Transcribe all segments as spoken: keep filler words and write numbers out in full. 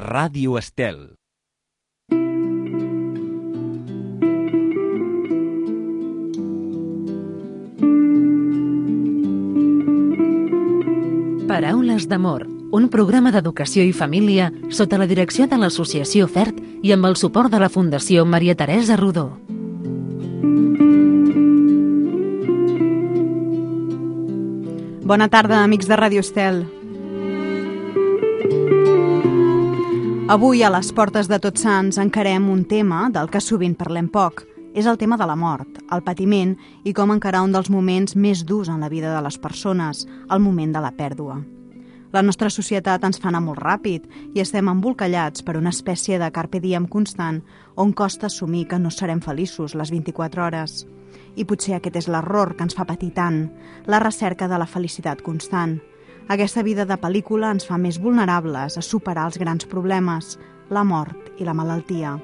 Ràdio Estel. Paraules d'amor, un programa d'educació i família sota la direcció de l'Associació FERT i amb el suport de la Fundació Maria Teresa Rodó. Bona tarda, amics de Ràdio Estel. Avui, a les portes de Tots Sants, encarem un tema del que sovint parlem poc. És el tema de la mort, el patiment i com encarar un dels moments més durs en la vida de les persones, el moment de la pèrdua. La nostra societat ens fa anar molt ràpid i estem embolcallats per una espècie de carpe diem constant on costa assumir que no serem feliços les vint-i-quatre hores. I potser aquest és l'error que ens fa patir tant, la recerca de la felicitat constant. Aquesta vida de pel·lícula ens fa més vulnerables a superar els grans problemes, la mort i la malaltia.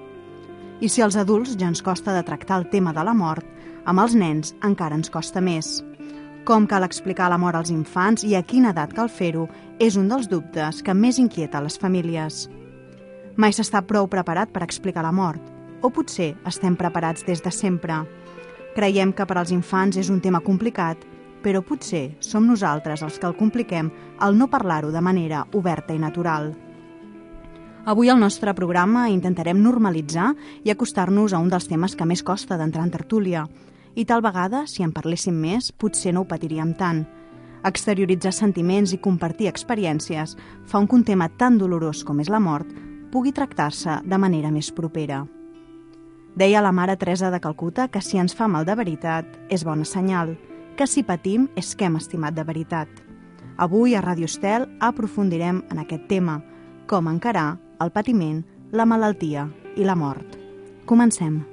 I si als adults ja ens costa de tractar el tema de la mort, amb els nens encara ens costa més. Com cal explicar la mort als infants i a quina edat cal fer-ho és un dels dubtes que més inquieta les famílies. Mai s'està prou preparat per explicar la mort, o potser estem preparats des de sempre. Creiem que per als infants és un tema complicat, però potser som nosaltres els que el compliquem al no parlar-ho de manera oberta i natural. Avui al nostre programa intentarem normalitzar i acostar-nos a un dels temes que més costa d'entrar en tertúlia. I tal vegada, si en parléssim més, potser no ho patiríem tant. Exterioritzar sentiments i compartir experiències fa que un tema tan dolorós com és la mort pugui tractar-se de manera més propera. Deia la mare Teresa de Calcuta que si ens fa mal de veritat és bona senyal, que si patim és que hem estimat de veritat. Avui a Ràdio Estel aprofundirem en aquest tema, com encarar el patiment, la malaltia i la mort. Comencem.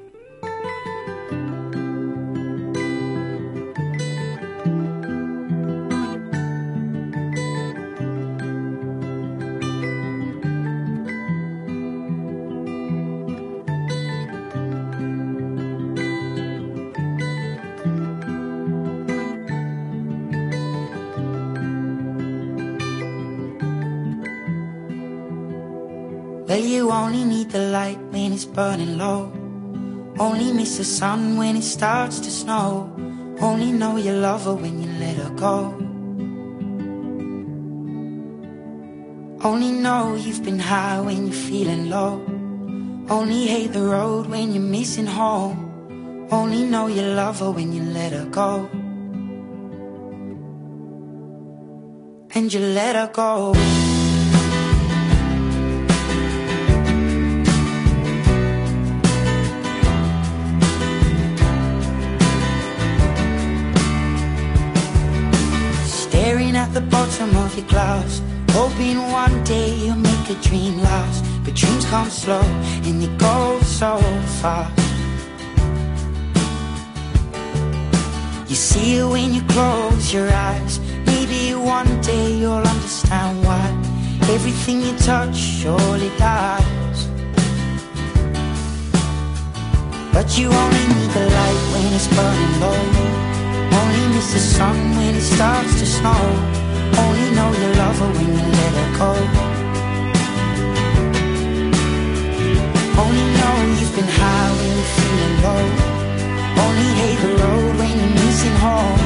Well, you only need the light when it's burning low. Only miss the sun when it starts to snow. Only know you love her when you let her go. Only know you've been high when you're feeling low. Only hate the road when you're missing home. Only know you love her when you let her go. And you let her go. At the bottom of your glass, hoping one day you'll make a dream last. But dreams come slow and they go so fast. You see it when you close your eyes. Maybe one day you'll understand why everything you touch surely dies. But you only need the light when it's burning low. Only miss the sun when it starts to snow. Only know you love her when you let her go. Only know you've been high when you're feeling low. Only hate the road when you're missing home.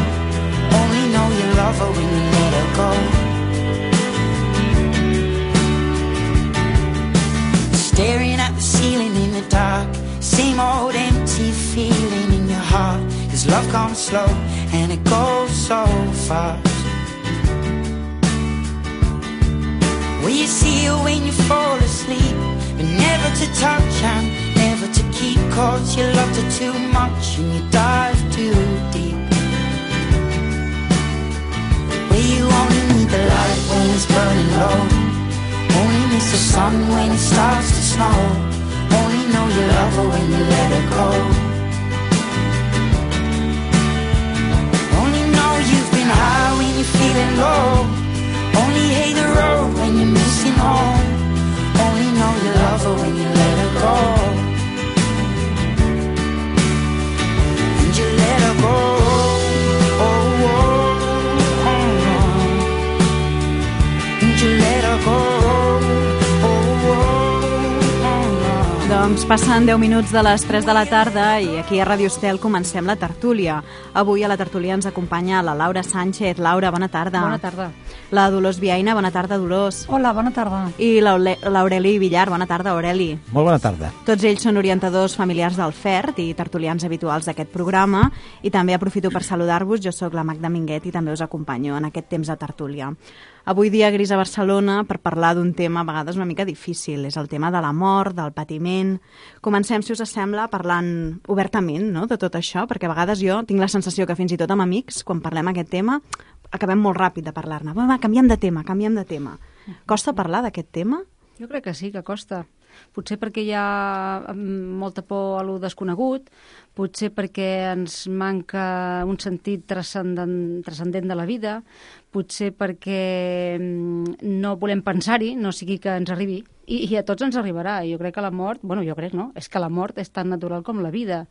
Only know you love her when you let her go. Staring at the ceiling in the dark, same old empty feeling in your heart. Cause love comes slow and it goes so fast. Well, you see it when you fall asleep, but never to touch and never to keep. Cause you loved her too much and you dive too deep. Well, you only need the light when it's burning low. Only miss the sun when it starts to snow. Only know you love her when you let her go. High when you're feeling low. Only hate the road when you're missing home. Only know you love her when you let her go. And you let her go. Oh, oh, oh. And you let her go. Oh, oh. Doncs passen deu minuts de les tres de la tarda i aquí a Ràdio Estel comencem la tertúlia. Avui a la tertúlia ens acompanya la Laura Sánchez. Laura, bona tarda. Bona tarda. La Dolors Viaina, bona tarda, Dolors. Hola, bona tarda. I l'Aureli Villar, bona tarda, Aureli. Molt bona tarda. Tots ells són orientadors familiars del F E R T i tertulians habituals d'aquest programa, i també aprofito per saludar-vos. Jo sóc la Magda Minguet i també us acompanyo en aquest temps de tertúlia. Avui dia gris a Barcelona per parlar d'un tema a vegades una mica difícil. És el tema de la mort, del patiment. Comencem, si us sembla, parlant obertament, no?, de tot això, perquè a vegades jo tinc la sensació que fins i tot amb amics, quan parlem aquest tema, acabem molt ràpid de parlar-ne. Va, va, canviem de tema, canviem de tema. Costa parlar d'aquest tema? Jo crec que sí, que costa. Potser perquè hi ha molta por a lo desconegut, potser perquè ens manca un sentit transcendent, transcendent de la vida, potser perquè no volem pensar-hi, no sigui que ens arribi, i, i a tots ens arribarà. Jo crec que la mort, bueno, jo crec, no? És que la mort és tan natural com la vida,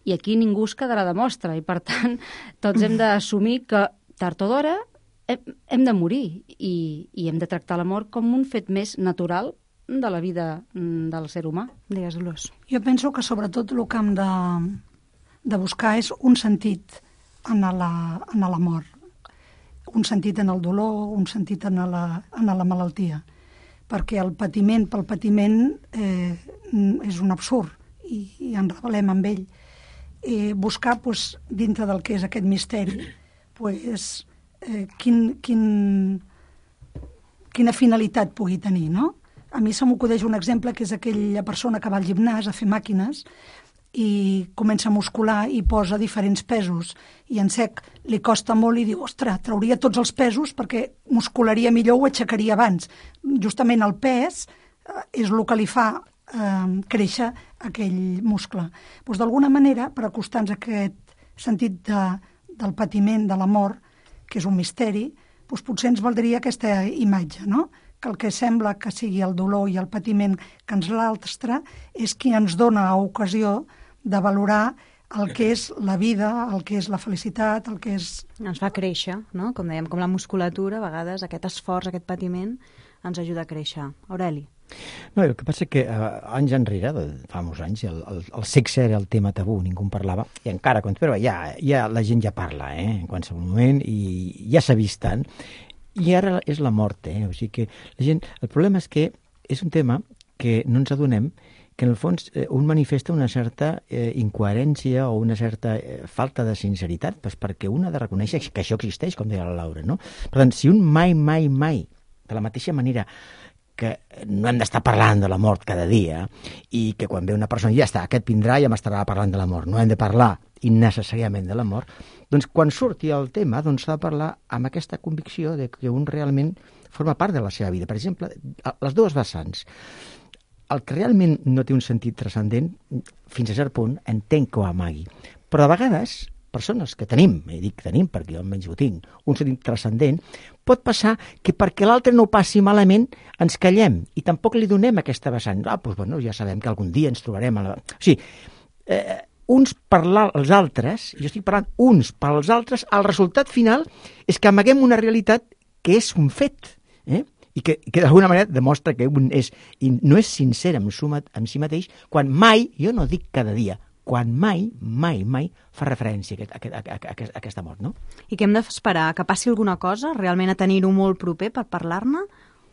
i aquí ningú es quedarà de mostra, i per tant tots hem d'assumir que tard o d'hora hem, hem de morir, i, i hem de tractar la mort com un fet més natural de la vida del ser humà. Digues, Dolors. Jo penso que sobretot el que hem de, de buscar és un sentit en la, en la mort, un sentit en el dolor, un sentit en la, en la malaltia, perquè el patiment pel patiment eh, és un absurd i, i ens rebel·lem amb ell. Eh, buscar, pues, dintre del que és aquest misteri, pues, eh, quin, quin, quina finalitat pugui tenir, no? A mi se m'acudeix un exemple, que és aquella persona que va al gimnàs a fer màquines i comença a muscular i posa diferents pesos, i en sec li costa molt i diu, ostres, trauria tots els pesos perquè muscularia millor, ho aixecaria abans. Justament el pes eh, és el que li fa eh, créixer aquell muscle. Doncs d'alguna manera, per acostar-nos a aquest sentit de, del patiment, de la mort, que és un misteri, doncs potser ens valdria aquesta imatge, no?, que el que sembla que sigui el dolor i el patiment que ens l'altre és qui ens dona ocasió de valorar el que és la vida, el que és la felicitat, el que és... Ens fa créixer, no? Com dèiem, com la musculatura, a vegades aquest esforç, aquest patiment, ens ajuda a créixer. Aureli. No, el que passa que eh, anys enrere, fa molts anys, el, el, el sexe era el tema tabú, ningú en parlava, i encara, però ja, ja la gent ja parla, eh, en qualsevol moment, i ja s'ha vist tant. I ara és la mort, eh? O sigui que la gent... El problema és que és un tema que no ens adonem que en el fons eh, un manifesta una certa eh, incoherència o una certa eh, falta de sinceritat, pues perquè un ha de reconèixer que això existeix, com deia la Laura, no? Per tant, si un mai, mai, mai, de la mateixa manera que no hem d'estar parlant de la mort cada dia i que quan ve una persona ja està, aquest vindrà i ja m'estarà parlant de la mort, no hem de parlar innecessàriament de la mort, doncs quan surti el tema doncs s'ha de parlar amb aquesta convicció de que un realment forma part de la seva vida. Per exemple, les dues vessants. El que realment no té un sentit transcendent, fins a cert punt, entenc que ho amagui. Però a vegades, persones que tenim, i dic tenim perquè jo almenys ho tinc, un sentit transcendent, pot passar que perquè l'altre no ho passi malament ens callem i tampoc li donem aquesta vessant. Ah, doncs bueno, ja sabem que algun dia ens trobarem a la... O sigui, eh, uns per als altres, jo estic parlant uns per als altres, el resultat final és que amaguem una realitat que és un fet, eh? I que, que d'alguna manera demostra que un és, no és sincer amb, suma, amb si mateix, quan mai, jo no dic cada dia, quan mai, mai, mai fa referència a, a, a, a, a aquesta mort, no? I què hem d'esperar? Que passi alguna cosa, realment a tenir-ho molt proper per parlar-ne?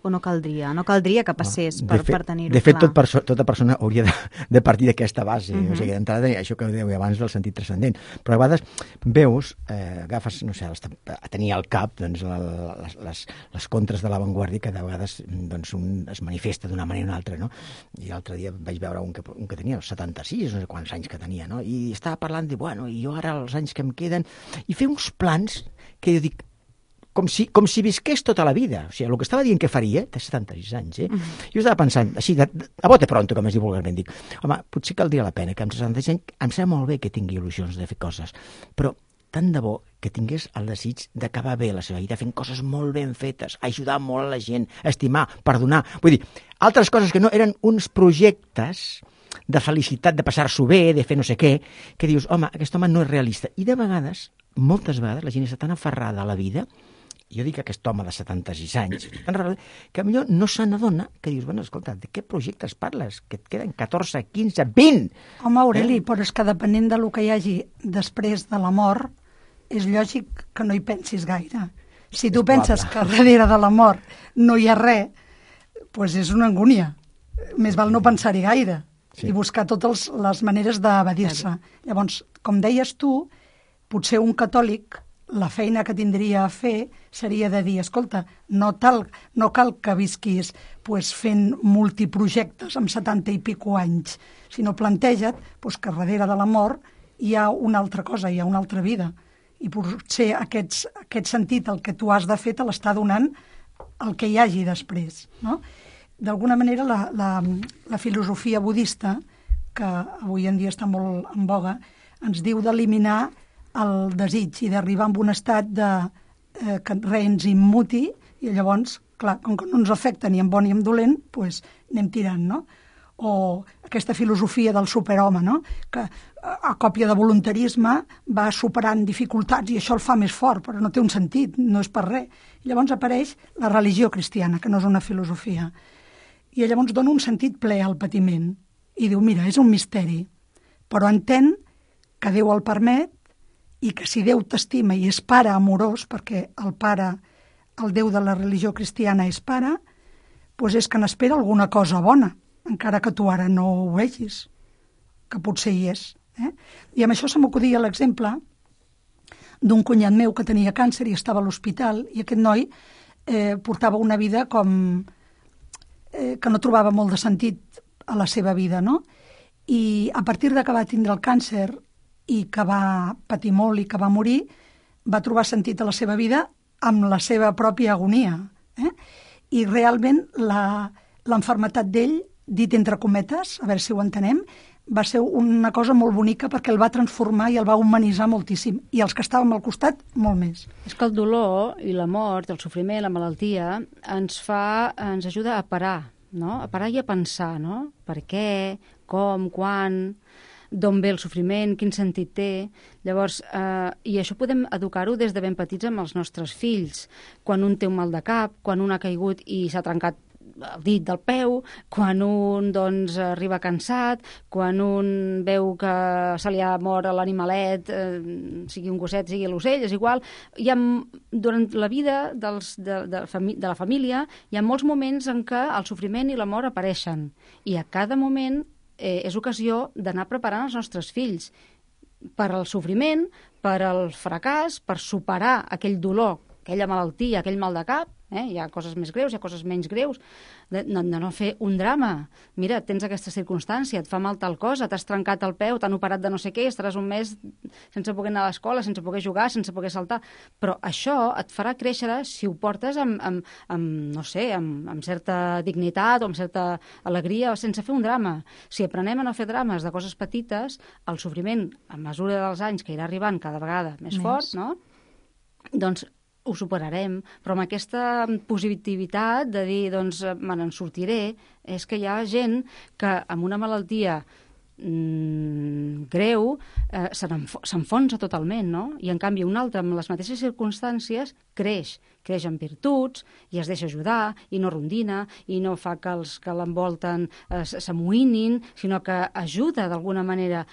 O no caldria? No caldria que passés per, per tenir-ho clar? De fet, tot perso tota persona hauria de, de partir d'aquesta base. Uh-huh. O sigui, d'entrada, això que dèieu abans del sentit transcendent. Però a vegades veus, eh, agafes, no sé, a tenir al cap doncs, la, les, les, les contres de l'avantguàrdia que de vegades doncs, un es manifesta d'una manera o una altra, no? I l'altre dia vaig veure un que, un que tenia setanta-sis, no sé quants anys que tenia, no? I estava parlant de, bueno, i jo ara els anys que em queden... I fer uns plans que jo dic, com si, com si visqués tota la vida. O sigui, el que estava dient que faria, té setanta-sis anys, eh? Uh-huh. Jo estava pensant, així, de, a bote pronto, com es diu vulgarment, dic, home, potser caldria la pena que amb setanta-sis anys em sembla molt bé que tingui il·lusions de fer coses, però tant de bo que tingués el desig d'acabar bé la seva vida fent coses molt ben fetes, ajudar molt a la gent, estimar, perdonar. Vull dir, altres coses que no eren uns projectes de felicitat, de passar-s'ho bé, de fer no sé què, que dius, home, aquest home no és realista. I de vegades, moltes vegades, la gent està tan aferrada a la vida jo dic aquest home de setanta-sis anys, que millor no se n'adona, que dius, bueno, escolta, de què projectes parles? Que et queden catorze, quinze, vint! Home, Aureli, eh? Però és que depenent del que hi hagi després de la mort, és lògic que no hi pensis gaire. Si tu penses que darrere de la mort no hi ha res, doncs és una angúnia. Més val no pensar-hi gaire i buscar totes les maneres d'evadir-se. Llavors, com deies tu, potser un catòlic, la feina que tindria a fer seria de dir, escolta, no, tal, no cal que visquis pues, fent multiprojectes amb setanta i pico anys, sinó planteja't pues, que darrere de la mort hi ha una altra cosa, hi ha una altra vida. I potser aquests, aquest sentit, el que tu has de fer, te l'està donant el que hi hagi després. No? D'alguna manera, la, la, la filosofia budista, que avui en dia està molt en boga, ens diu d'eliminar el desig i d'arribar a un estat de eh, que res ens immuti i llavors, clar, com que no ens afecta ni en bon ni en dolent, doncs anem tirant, no? O aquesta filosofia del superhome, no? Que a còpia de voluntarisme va superant dificultats i això el fa més fort, però no té un sentit, no és per res. I llavors apareix la religió cristiana, que no és una filosofia. I llavors dona un sentit ple al patiment i diu, mira, és un misteri, però entén que Déu el permet i que si Déu t'estima i és pare amorós, perquè el pare, el Déu de la religió cristiana és pare, doncs és que n'espera alguna cosa bona, encara que tu ara no ho vegis, que potser hi és. Eh? I amb això se m'acudia l'exemple d'un cunyat meu que tenia càncer i estava a l'hospital, i aquest noi eh, portava una vida com eh, que no trobava molt de sentit a la seva vida, no? I a partir de que va tindre el càncer i que va patir molt i que va morir, va trobar sentit a la seva vida amb la seva pròpia agonia. Eh? I realment la, l'enfermetat d'ell, dit entre cometes, a veure si ho entenem, va ser una cosa molt bonica perquè el va transformar i el va humanitzar moltíssim. I els que estàvem al costat, molt més. És que el dolor i la mort, el sofriment, la malaltia, ens fa, ens ajuda a parar, no? A parar i a pensar, no? Per què, com, quan, d'on ve el sofriment, quin sentit té. Llavors, eh, i això podem educar-ho des de ben petits amb els nostres fills. Quan un té un mal de cap, quan un ha caigut i s'ha trencat el dit del peu, quan un doncs, arriba cansat, quan un veu que se li ha mort l'animalet, eh, sigui un gosset, sigui l'ocell, és igual. Hi ha, durant la vida dels, de, de, de la família hi ha molts moments en què el sofriment i la mort apareixen. I a cada moment eh, és ocasió d'anar preparant els nostres fills per al sofriment, per al fracàs, per superar aquell dolor, aquella malaltia, aquell mal de cap. Eh? Hi ha coses més greus, hi ha coses menys greus, de, de, de no fer un drama. Mira, tens aquesta circumstància, et fa mal tal cosa, t'has trencat el peu, t'han operat de no sé què, estaràs un mes sense poder anar a l'escola, sense poder jugar, sense poder saltar. Però això et farà créixer si ho portes amb, amb, amb no sé, amb, amb certa dignitat o amb certa alegria, o sense fer un drama. Si aprenem a no fer drames de coses petites, el sofriment, a mesura dels anys que irà arribant cada vegada més, més. fort, no? Doncs ho superarem, però amb aquesta positivitat de dir, doncs, me n'en sortiré, és que hi ha gent que amb una malaltia mm, greu eh, s'enfonsa totalment, no? I en canvi un altre, amb les mateixes circumstàncies, creix, creix en virtuts i es deixa ajudar i no rondina i no fa que els que l'envolten eh, s'amoïnin, sinó que ajuda d'alguna manera.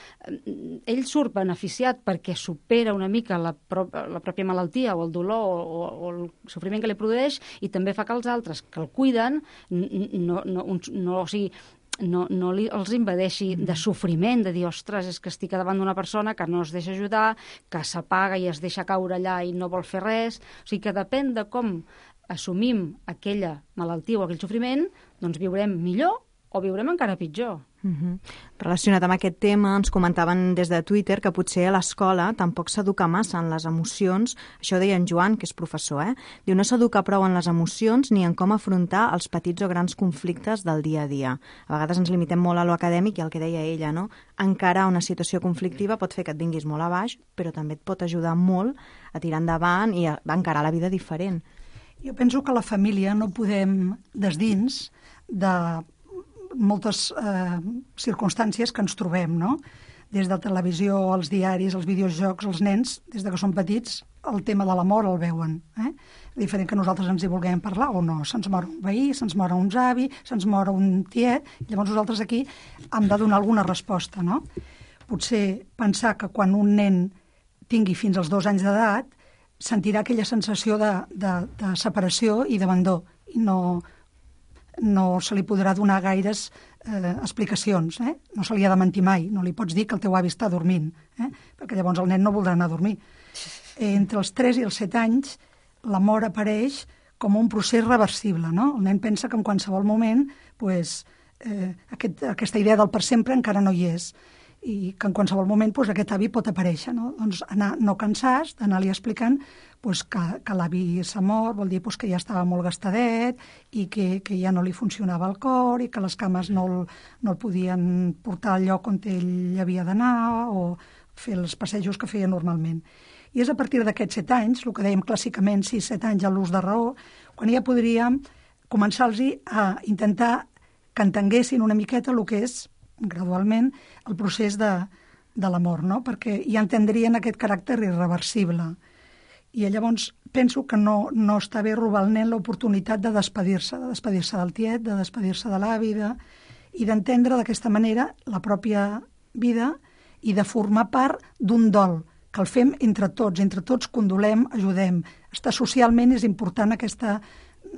Ell surt beneficiat perquè supera una mica la, pro la pròpia malaltia o el dolor o, o el sofriment que li produeix, i també fa que els altres que el cuiden no, no, no, no o sigui, no, no li, els invadeixi de sofriment, de dir, ostres, és que estic davant d'una persona que no es deixa ajudar, que s'apaga i es deixa caure allà i no vol fer res. O sigui que depèn de com assumim aquella malaltia o aquell sofriment, doncs viurem millor o viurem encara pitjor. Uh-huh. Relacionat amb aquest tema, ens comentaven des de Twitter que potser a l'escola tampoc s'educa massa en les emocions. Això deia en Joan, que és professor, eh? Diu, no s'educa prou en les emocions ni en com afrontar els petits o grans conflictes del dia a dia. A vegades ens limitem molt a lo acadèmic i el que deia ella, no? Encarar una situació conflictiva pot fer que et vinguis molt a baix, però també et pot ajudar molt a tirar endavant i a encarar la vida diferent. Jo penso que la família no podem, des dins de moltes eh, circumstàncies que ens trobem, no? des de televisió, els diaris, els videojocs, els nens, des de que són petits, el tema de la mort el veuen. Eh? Diferent que nosaltres ens hi vulguem parlar o no. Se'ns mor un veí, se'ns mor un avi, se'ns mor un tiet, llavors nosaltres aquí hem de donar alguna resposta, no? Potser pensar que quan un nen tingui fins als dos anys d'edat sentirà aquella sensació de, de, de separació i d'abandó, i no, no se li podrà donar gaires eh, explicacions, eh? No se li ha de mentir mai, no li pots dir que el teu avi està dormint, eh? Perquè llavors el nen no voldrà anar a dormir. Entre els tres i els set anys la mort apareix com un procés reversible, no? El nen pensa que en qualsevol moment pues, eh, aquest, aquesta idea del per sempre encara no hi és, i que en qualsevol moment pues, aquest avi pot aparèixer, no? Doncs anar, no cansar-se d'anar-li explicant pues, que, que l'avi s'ha mort, vol dir pues, que ja estava molt gastadet i que, que ja no li funcionava el cor i que les cames no el, no el podien portar al lloc on ell havia d'anar o fer els passejos que feia normalment. I és a partir d'aquests set anys, el que dèiem clàssicament, sis set anys a l'ús de raó, quan ja podríem començar-los a intentar que entenguessin una miqueta el que és, gradualment, el procés de, de la mort, no? Perquè ja entendrien aquest caràcter irreversible. I llavors penso que no, no està bé robar al nen l'oportunitat de despedir-se, de despedir-se del tiet, de despedir-se de l'avi, de, i d'entendre d'aquesta manera la pròpia vida i de formar part d'un dol, que el fem entre tots, entre tots condolem, ajudem. Estar socialment és important aquesta,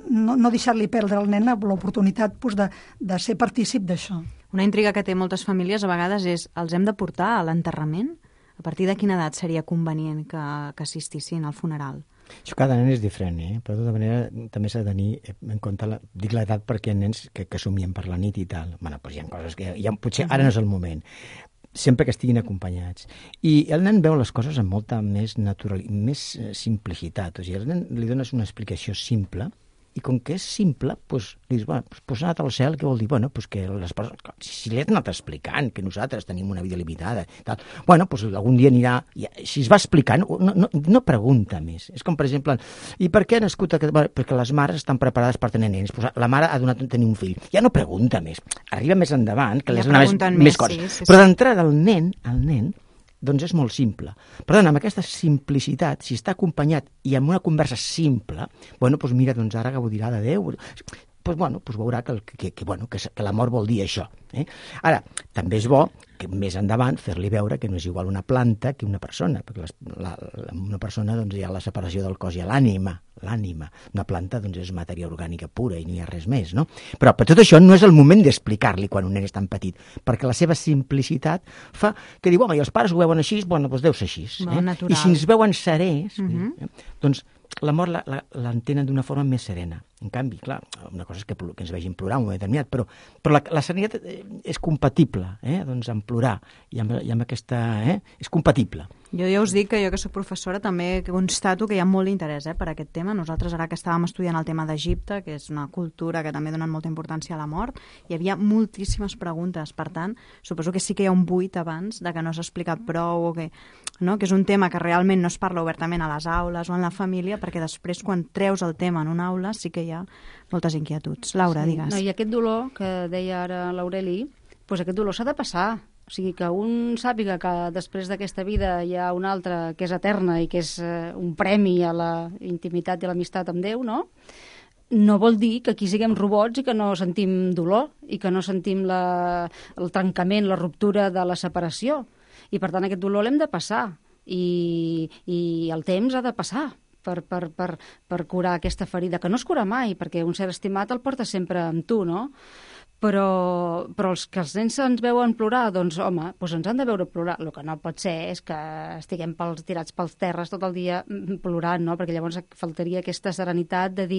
no, no deixar-li perdre al nen l'oportunitat pues, de, de ser partícip d'això. Una intriga que té moltes famílies a vegades és, els hem de portar a l'enterrament? A partir de quina edat seria convenient que, que assistissin al funeral? Això cada nen és diferent, eh? Però de tota manera també s'ha de tenir en compte, la, dic l'edat perquè hi ha nens que, que somien per la nit i tal. Bueno, doncs hi ha coses que ja, potser ara no és el moment. Sempre que estiguin acompanyats. I el nen veu les coses amb molta més natural, més simplicitat. O sigui, al nen li dones una explicació simple i com que és simple, doncs, li dius, bueno, doncs ha anat al cel, què vol dir? Bueno, doncs que les persones, si li has anat explicant que nosaltres tenim una vida limitada, tal, bueno, doncs algun dia anirà, si es va explicant, no, no, no pregunta més. És com, per exemple, i per què ha nascut aquest? Bueno, perquè les mares estan preparades per tenir nens, doncs la mare ha donat tenir un fill. Ja no pregunta més. Arriba més endavant, que li has donat més, més, més coses. Sí, sí, sí. Però d'entrada el nen, el nen, doncs és molt simple. Per tant, amb aquesta simplicitat, si està acompanyat i amb una conversa simple, bueno, doncs mira, doncs ara gaudirà de Déu. Doncs, bueno, doncs veurà que, que, que, bueno, que, que la mort vol dir això. Eh? Ara, també és bo que més endavant fer-li veure que no és igual una planta que una persona, perquè les, la, la, una persona doncs, hi ha la separació del cos i l'ànima, l'ànima. Una planta doncs, és matèria orgànica pura i no hi ha res més, no? Però per tot això no és el moment d'explicar-li quan un nen és tan petit, perquè la seva simplicitat fa que diu, home, i els pares ho veuen així, bueno, doncs deu ser així. Eh? I si ens veuen serès, uh-huh. eh? doncs la mort l'entenen d'una forma més serena. En canvi, clar, una cosa és que, que ens vegin plorar un moment determinat, però, però la, la serenitat és compatible, eh? Doncs amb plorar i amb, i amb aquesta... Eh? És compatible. Jo ja us dic que jo que soc professora també constato que hi ha molt d'interès eh, per aquest tema. Nosaltres ara que estàvem estudiant el tema d'Egipte, que és una cultura que també donen molta importància a la mort, hi havia moltíssimes preguntes. Per tant, suposo que sí que hi ha un buit abans de que no s'ha explicat prou o que, no? Que és un tema que realment no es parla obertament a les aules o en la família, perquè després quan treus el tema en una aula sí que hi ha moltes inquietuds. Laura, sí. Digues. No, I aquest dolor que deia ara l'Aureli, doncs aquest dolor s'ha de passar. O sigui, que un sàpiga que després d'aquesta vida hi ha una altra que és eterna i que és eh, un premi a la intimitat i a l'amistat amb Déu, no? No vol dir que aquí siguem robots i que no sentim dolor i que no sentim la, el trencament, la ruptura de la separació. I, per tant, aquest dolor l'hem de passar. I, i el temps ha de passar per, per, per, per curar aquesta ferida, que no es cura mai, perquè un ser estimat el porta sempre amb tu, no? Però, però els que els nens ens veuen plorar, doncs, home, doncs ens han de veure plorar. El que no pot ser és que estiguem pels, tirats pels terres tot el dia plorant, no? Perquè llavors faltaria aquesta serenitat de dir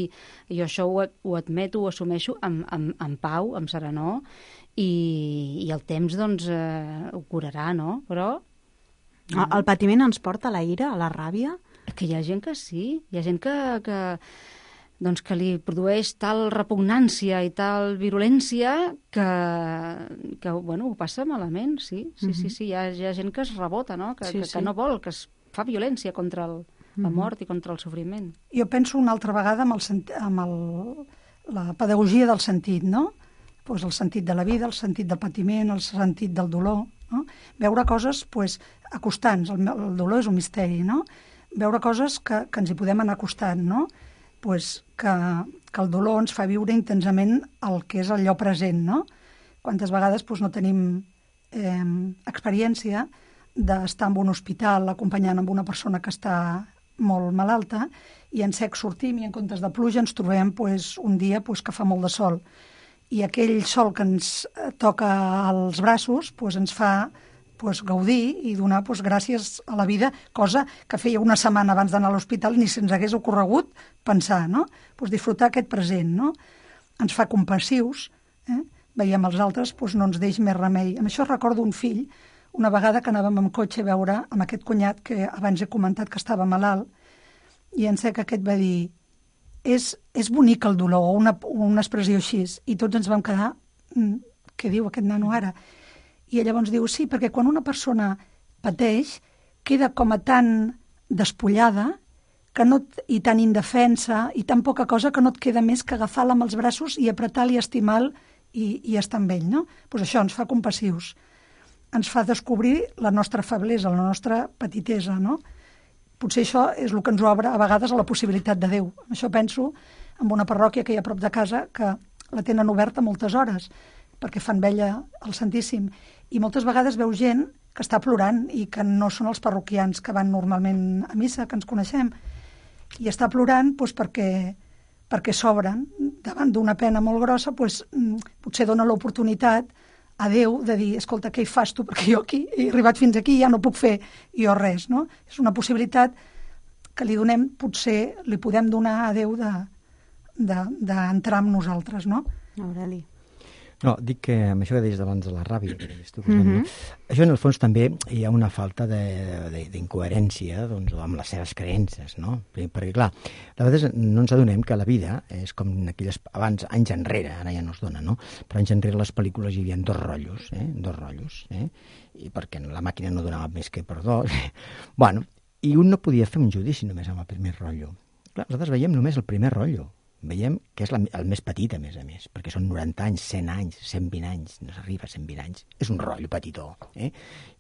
jo això ho, ho admeto, ho assumeixo amb, amb, amb pau, amb serenor, i, i el temps, doncs, eh, ho curarà, no? Però... El, el patiment ens porta a la ira, a la ràbia? Que hi ha gent que sí, hi ha gent que... que doncs que li produeix tal repugnància i tal virulència que, que bueno, ho passa malament, sí. Sí, uh-huh. sí, sí, hi ha, hi ha gent que es rebota, no? Que, sí, que, sí. que no vol, que es fa violència contra el, la mort uh-huh. i contra el sofriment. Jo penso una altra vegada amb, el, amb el, la pedagogia del sentit, no? Pues el sentit de la vida, el sentit del patiment, el sentit del dolor, no? Veure coses pues, acostants, el, el dolor és un misteri, no? Veure coses que, que ens hi podem anar acostant, no? Pues que, que el dolor ens fa viure intensament el que és allò present, no? Quantes vegades pues, no tenim eh, experiència d'estar en un hospital acompanyant amb una persona que està molt malalta i en sec sortim i en comptes de pluja ens trobem pues, un dia pues, que fa molt de sol. I aquell sol que ens toca als braços pues, ens fa pues, gaudir i donar pues, gràcies a la vida, cosa que feia una setmana abans d'anar a l'hospital ni se'ns hagués ocorregut pensar, no? Pues, disfrutar aquest present, no? Ens fa compassius, eh? Veiem els altres, pues, no ens deix més remei. Amb això recordo un fill, una vegada que anàvem amb cotxe a veure amb aquest cunyat que abans he comentat que estava malalt, i en sec aquest va dir és, és bonic el dolor, o una, una expressió així, i tots ens vam quedar què diu aquest nano ara? I llavors diu, sí, perquè quan una persona pateix, queda com a tan despullada que no, i tan indefensa i tan poca cosa que no et queda més que agafar-la amb els braços i apretar-li, estimar-lo i, i estar amb ell, no? Pues això ens fa compassius. Ens fa descobrir la nostra feblesa, la nostra petitesa, no? Potser això és el que ens obre a vegades a la possibilitat de Déu. Això penso en una parròquia que hi ha a prop de casa que la tenen oberta moltes hores perquè fan vella al Santíssim. I moltes vegades veu gent que està plorant i que no són els parroquians que van normalment a missa, que ens coneixem. I està plorant doncs, perquè, perquè s'obren davant d'una pena molt grossa, doncs, potser dona l'oportunitat a Déu de dir, escolta, què hi fas tu? Perquè jo aquí he arribat fins aquí i ja no puc fer jo res, no? És una possibilitat que li donem, potser li podem donar a Déu d'entrar amb nosaltres, no? Aureli. No, dic que amb això que deies abans de la ràbia, que tu, mm-hmm. això en el fons també hi ha una falta d'incoherència doncs, amb les seves creences, no? Perquè, clar, a vegades no ens adonem que la vida és com aquelles, abans, anys enrere, ara ja no es dona, no? Però anys enrere les pel·lícules hi havia dos rotllos, eh? Dos rotllos, eh? I perquè la màquina no donava més que per dos. Bueno, i un no podia fer un judici només amb el primer rotllo. Clar, nosaltres veiem només el primer rotllo. Veiem que és la, el més petit, a més a més, perquè són noranta anys, cent anys, cent vint anys, no s'arriba a cent vint anys. És un rotllo petitó, eh?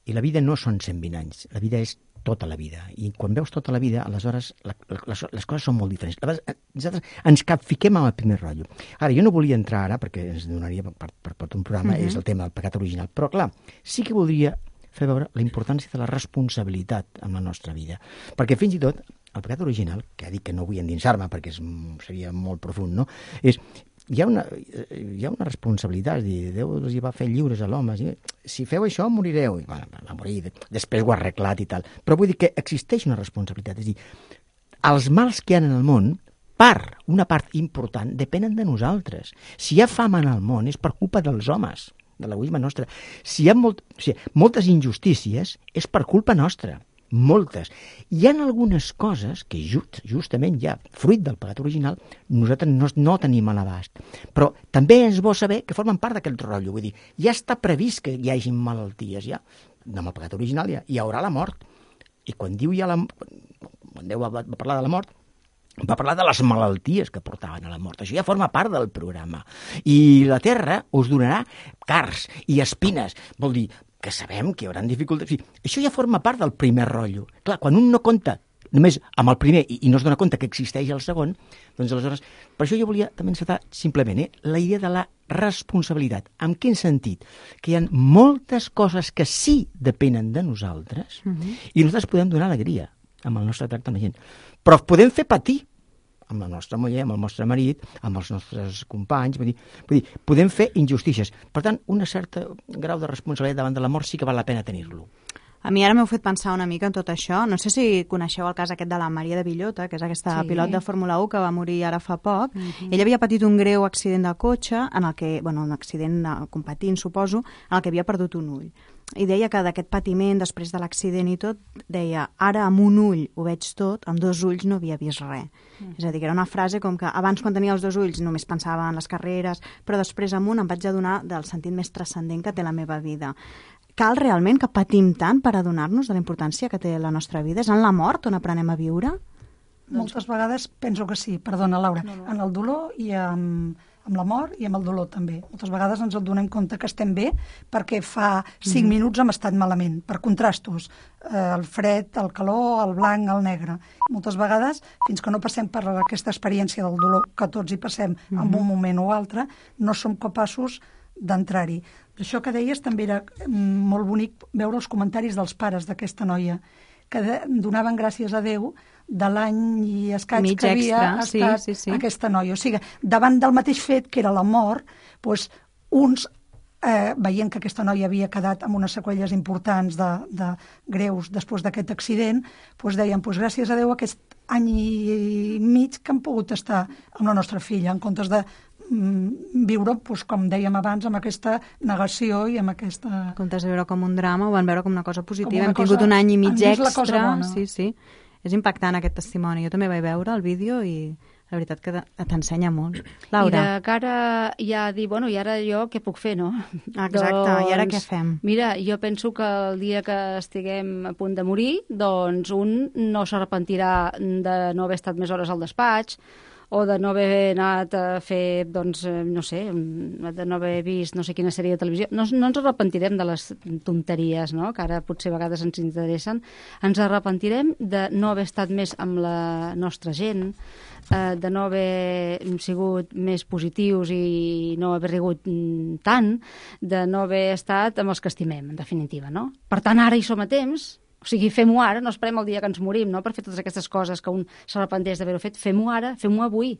I la vida no són cent vint anys, la vida és tota la vida. I quan veus tota la vida, aleshores la, les, les coses són molt diferents. Aleshores, nosaltres ens capfiquem amb el primer rotllo. Ara, jo no volia entrar ara, perquè ens donaria per, per, per tot un programa, uh-huh. és el tema del pecat original, però clar, sí que voldria fer veure la importància de la responsabilitat en la nostra vida. Perquè fins i tot el pecat original, que ha dit que no vull endinsar-me perquè és, seria molt profund, no? És, hi ha una, hi ha una responsabilitat, és dir, Déu els hi va fer lliures a l'home, si feu això morireu, i bueno, va morir, després ho ha arreglat i tal, però vull dir que existeix una responsabilitat, és dir, els mals que hi ha en el món, part, una part important, depenen de nosaltres. Si hi ha fam en el món és per culpa dels homes, de l'egoisme nostre. Si hi ha molt, o sigui, moltes injustícies és per culpa nostra. Moltes. Hi ha algunes coses que just, justament ja, fruit del pecat original, nosaltres no, no tenim a l'abast. Però també és bo saber que formen part d'aquest rotllo. Vull dir, ja està previst que hi hagi malalties, ja. Amb el pecat original ja hi haurà la mort. I quan diu ja la... Quan Déu va, va parlar de la mort, va parlar de les malalties que portaven a la mort. Això ja forma part del programa. I la terra us donarà carns i espines. Vol dir, que sabem que hi haurà dificultats. Sí, això ja forma part del primer rotllo. Clar, quan un no compta només amb el primer i, i no es dona compte que existeix el segon, doncs aleshores... Per això jo volia també encetar simplement eh, la idea de la responsabilitat. En quin sentit? Que hi ha moltes coses que sí depenen de nosaltres uh-huh. i nosaltres podem donar alegria amb el nostre tracte amb la gent. Però podem fer patir amb la nostra muller, amb el nostre marit, amb els nostres companys, vull dir, vull dir, podem fer injustícies. Per tant, un cert grau de responsabilitat davant de la mort sí que val la pena tenir-lo. A mi ara m'heu fet pensar una mica en tot això. No sé si coneixeu el cas aquest de la Maria de Villota, que és aquesta sí. pilot de Fórmula u que va morir ara fa poc. Uh-huh. Ella havia patit un greu accident de cotxe, en el que, bueno, un accident competint, suposo, en el que havia perdut un ull. I deia que d'aquest patiment, després de l'accident i tot, deia, ara amb un ull ho veig tot, amb dos ulls no havia vist res. Mm. És a dir, que era una frase com que abans quan tenia els dos ulls només pensava en les carreres, però després amb un em vaig adonar del sentit més transcendent que té la meva vida. Cal realment que patim tant per adonar-nos de la importància que té la nostra vida? És en la mort on aprenem a viure? Moltes vegades penso que sí, perdona Laura, no, no. En el dolor i en, amb la mort i amb el dolor també. Moltes vegades ens adonem compte que estem bé perquè fa cinc minuts hem estat malament, per contrastos, eh, el fred, el calor, el blanc, el negre. Moltes vegades, fins que no passem per aquesta experiència del dolor, que tots hi passem en un moment o altre, no som capaços d'entrar-hi. Això que deies també era molt bonic veure els comentaris dels pares d'aquesta noia, que donaven gràcies a Déu de l'any i escaig mig que havia extra, estat sí, sí, sí. aquesta noia. O sigui, davant del mateix fet, que era la mort, doncs, uns, eh, veient que aquesta noia havia quedat amb unes seqüelles importants de, de greus després d'aquest accident, doncs deien, doncs, gràcies a Déu aquest any i mig que han pogut estar amb la nostra filla, en comptes de viure, doncs, com dèiem abans, amb aquesta negació i amb aquesta... En comptes de veure com un drama, ho van veure com una cosa positiva. una Hem tingut cosa- un any i mig han vist la cosa extra. bona. Sí, sí. És impactant aquest testimoni. Jo també vaig veure el vídeo i la veritat que t'ensenya molt. Laura. I de cara ja a dir, bueno, i ara jo què puc fer, no? Exacte, i ara què fem? Mira, jo penso que el dia que estiguem a punt de morir, doncs un no s'arrepentirà de no haver estat més hores al despatx, o de no haver anat a fer, doncs, eh, no sé, de no haver vist no sé quina sèrie de televisió. No, no ens arrepentirem de les tonteries, no?, que ara potser a vegades ens interessen. Ens arrepentirem de no haver estat més amb la nostra gent, eh, de no haver sigut més positius i no haver rigut mm, tant, de no haver estat amb els que estimem, en definitiva, no? Per tant, ara hi som a temps. O sigui, fem-ho ara, no esperem el dia que ens morim, no?, per fer totes aquestes coses que un s'arrepenteix d'haver-ho fet. Fem-ho ara, fem-ho avui,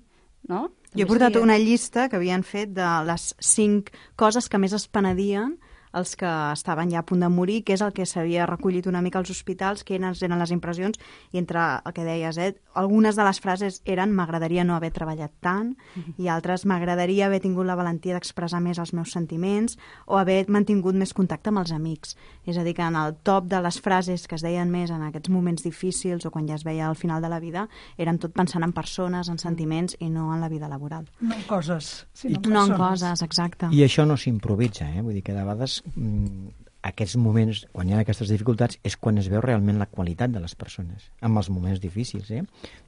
no? Jo he portat una llista que havien fet de les cinc coses que més es penedien els que estaven ja a punt de morir, que és el que s'havia recollit una mica als hospitals, que eren, eren les impressions, i entre el que deies, eh, algunes de les frases eren m'agradaria no haver treballat tant, uh-huh. i altres m'agradaria haver tingut la valentia d'expressar més els meus sentiments o haver mantingut més contacte amb els amics. És a dir, que en el top de les frases que es deien més en aquests moments difícils o quan ja es veia al final de la vida, eren tot pensant en persones, en sentiments i no en la vida laboral. No en coses, sinó en No en persones. coses, exacte. I això no s'improvisa, eh? Vull dir que de vegades mm, aquests moments, quan hi ha aquestes dificultats, és quan es veu realment la qualitat de les persones, amb els moments difícils, eh?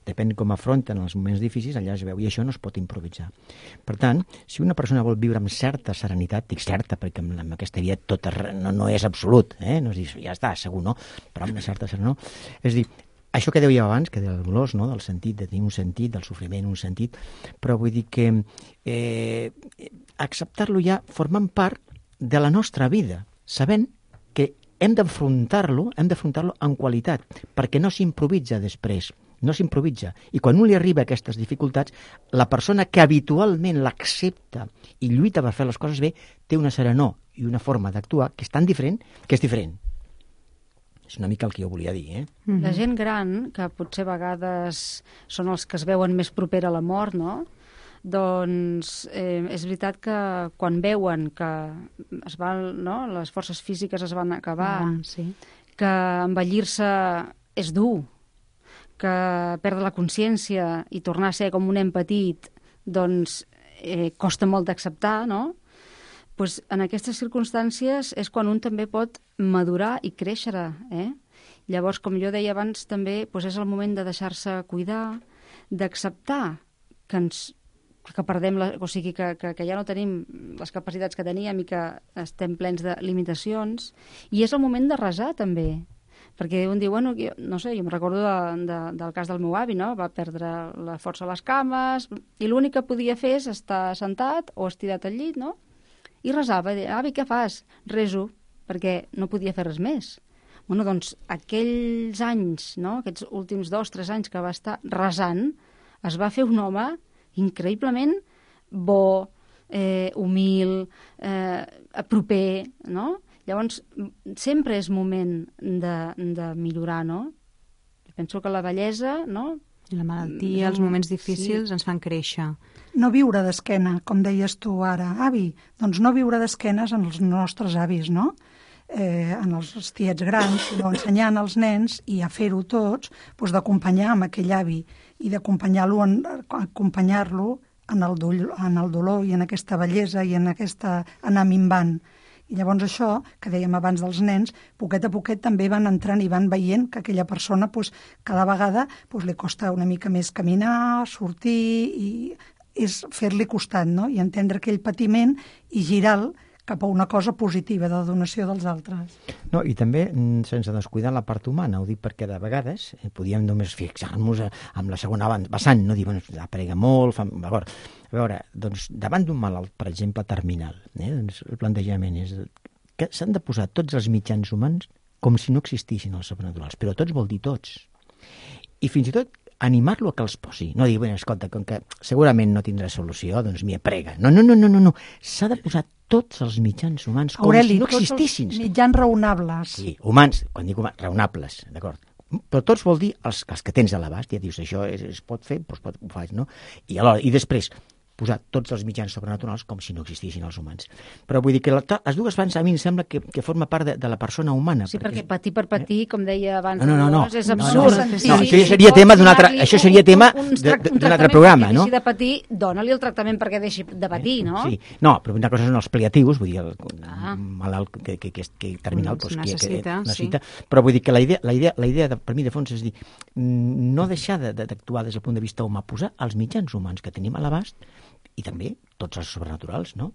Depèn com afronten els moments difícils, allà es veu, i això no es pot improvisar. Per tant, si una persona vol viure amb certa serenitat, dic certa, perquè amb, amb aquesta vida tot es, no, no és absolut, eh? No és dir, ja està, segur, no? Però amb una certa serenitat, no? És dir, això que dèieu abans, que del dolor, no?, del sentit, de tenir un sentit, del sofriment un sentit, però vull dir que eh, acceptar-lo ja formant part de la nostra vida, sabent que hem d'afrontar-lo, hem d'afrontar-lo en qualitat, perquè no s'improvisa després, no s'improvisa. I quan un li arriba a aquestes dificultats, la persona que habitualment l'accepta i lluita per fer les coses bé, té una serenor i una forma d'actuar que és tan diferent que és diferent. És una mica el que jo volia dir, eh? La gent gran, que potser a vegades són els que es veuen més proper a la mort, no?, doncs eh, és veritat que quan veuen que es van, no, les forces físiques es van acabar, Ah, sí. que envellir-se és dur, que perdre la consciència i tornar a ser com un nen petit, doncs eh, costa molt d'acceptar, no? Pues en aquestes circumstàncies és quan un també pot madurar i créixer, eh? Llavors, com jo deia abans, també pues és el moment de deixar-se cuidar, d'acceptar que ens que perdem, la, o sigui, que, que, que ja no tenim les capacitats que teníem i que estem plens de limitacions, i és el moment de resar també, perquè un diu, bueno, jo, no sé, jo em recordo de, de, del cas del meu avi, no?, va perdre la força a les cames i l'únic que podia fer és estar sentat o estirat al llit, no?, i resava, i deia, avi, què fas? Reso, perquè no podia fer res més. Bueno, doncs aquells anys, no?, aquests últims dos, tres anys que va estar resant, es va fer un home increïblement bo, eh, humil, eh, proper, no? Llavors, sempre és moment de, de millorar, no? Jo penso que la bellesa, no?, I la malaltia, els moments difícils sí. ens fan créixer. No viure d'esquena, com deies tu ara, avi. Doncs no viure d'esquenes en els nostres avis, no?, eh, en els tiets grans, sinó ensenyant als nens i a fer-ho tots, doncs d'acompanyar amb aquell avi i d'acompanyar-lo en, acompanyar-lo en, el dolor, en el dolor i en aquesta bellesa i en aquesta anar minvant. I llavors això, que dèiem abans dels nens, poquet a poquet també van entrant i van veient que aquella persona pues, cada vegada pues, li costa una mica més caminar, sortir i és fer-li costat, no? I entendre aquell patiment i girar-lo cap a una cosa positiva de la donació dels altres. No, i també sense descuidar la part humana, ho dic perquè de vegades eh, podíem només fixar-nos amb la segona vessant, no dir, bueno, aprega molt, fa... a veure, a veure, doncs davant d'un malalt, per exemple, terminal, eh, doncs el plantejament és que s'han de posar tots els mitjans humans com si no existissin els sobrenaturals, però tots vol dir tots. I fins i tot animar-lo a que els posi. No dir, bueno, escolta, com que segurament no tindrà solució, doncs m'hi aprega. No, no, no, no, no, no. S'ha de posar tots els mitjans humans com Aureli, si no existissin. Tots els mitjans raonables. Sí, humans, quan dic humans, raonables, d'acord. Però tots vol dir els, els que tens a l'abast, ja dius, això es, es pot fer, doncs pot, ho faig, no? I alhora, i després, posar tots els mitjans sobrenaturals com si no existissin els humans. Però vull dir que la, les dues fans a mi em sembla que, que forma part de, de la persona humana. Sí, perquè, perquè patir per patir, eh? com deia abans, no, no, no, és no, absurd. No, no, no, això ja seria tema d'un altre, això seria tema d'un altre programa, no? Si deixi de patir, dona-li el tractament perquè deixi de patir, no? Sí, no, però una cosa són els paliatius, vull dir, el ah. malalt que, que, que, que terminal doncs, necessita, que, que necessita, sí. Però vull dir que la idea, la idea, la idea de, per mi de fons és dir, no deixar d'actuar des del punt de vista humà, posar els mitjans humans que tenim a l'abast i també tots els sobrenaturals, no?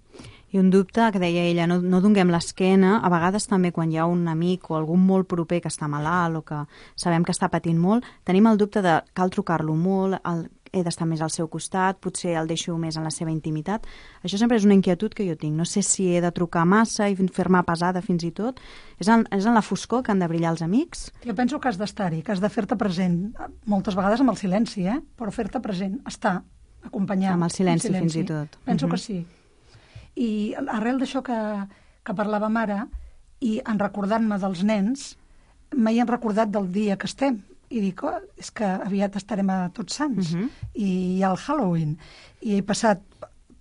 I un dubte que deia ella, no, no donguem l'esquena, a vegades també quan hi ha un amic o algun molt proper que està malalt o que sabem que està patint molt, tenim el dubte de cal trucar-lo molt, el, he d'estar més al seu costat, potser el deixo més en la seva intimitat. Això sempre és una inquietud que jo tinc. No sé si he de trucar massa i fer-me pesada fins i tot. És en, és en la foscor que han de brillar els amics? Jo penso que has d'estar-hi, que has de fer-te present, moltes vegades amb el silenci, eh? Però fer-te present, estar, acompanyar. Amb el silenci, silenci. fins i tot. Penso uh-huh. que sí. I arrel d'això que, que parlàvem ara, i en recordant-me dels nens, m'he recordat del dia que estem. I dic, oh, és que aviat estarem a Tots Sants. Uh-huh. I hi ha el Halloween. I he passat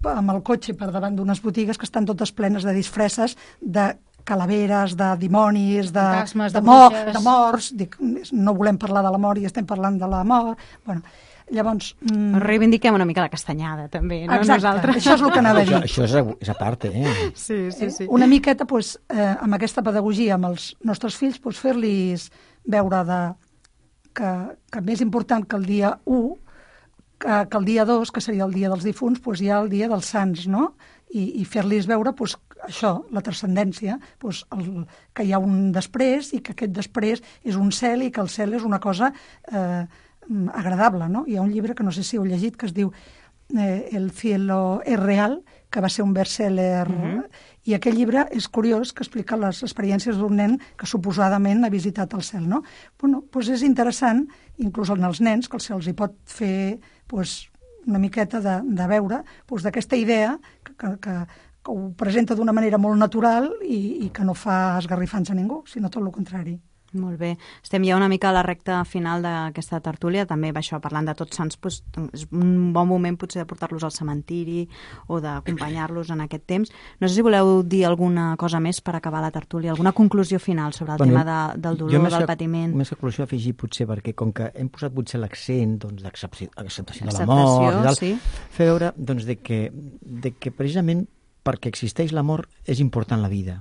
amb el cotxe per davant d'unes botigues que estan totes plenes de disfresses de calaveres, de dimonis, de, Fantasmes, de, de, mor, bruixes. de morts. Dic, no volem parlar de la mort i estem parlant de la mort. Bueno, llavors... Mm... Reivindiquem una mica la castanyada, també, no? Exacte, nosaltres. això és el que anava a dir. Això, això és, és a part, eh? Sí, sí, sí. Una miqueta, pues, eh, amb aquesta pedagogia, amb els nostres fills, pues, fer-los veure de, que, que més important que el dia u, que, que el dia dos, que seria el dia dels difunts, pues, hi ha el dia dels sants, no? I, i fer-los veure, pues, això, la transcendència, pues, el, que hi ha un després i que aquest després és un cel i que el cel és una cosa eh, agradable, no? Hi ha un llibre que no sé si heu llegit que es diu eh, El cielo es real, que va ser un best-seller, uh-huh. i aquell llibre és curiós, que explica les experiències d'un nen que suposadament ha visitat el cel, no? Bueno, doncs és interessant, inclús en els nens, que se'ls hi pot fer doncs, una miqueta de, de veure doncs, d'aquesta idea que, que, que, que ho presenta d'una manera molt natural i, i que no fa esgarrifants a ningú, sinó tot el contrari. Molt bé. Estem ja una mica a la recta final d'aquesta tertúlia, també això, parlant de Tots Sants, doncs, és un bon moment potser de portar-los al cementiri o d'acompanyar-los en aquest temps. No sé si voleu dir alguna cosa més per acabar la tertúlia, alguna conclusió final sobre el bueno, tema de, del dolor, del patiment. Més que conclusió afegir potser, perquè com que hem posat potser l'accent doncs, d'acceptació de la mort i tal, sí. fer veure doncs, de que, de que precisament perquè existeix l'amor és important la vida.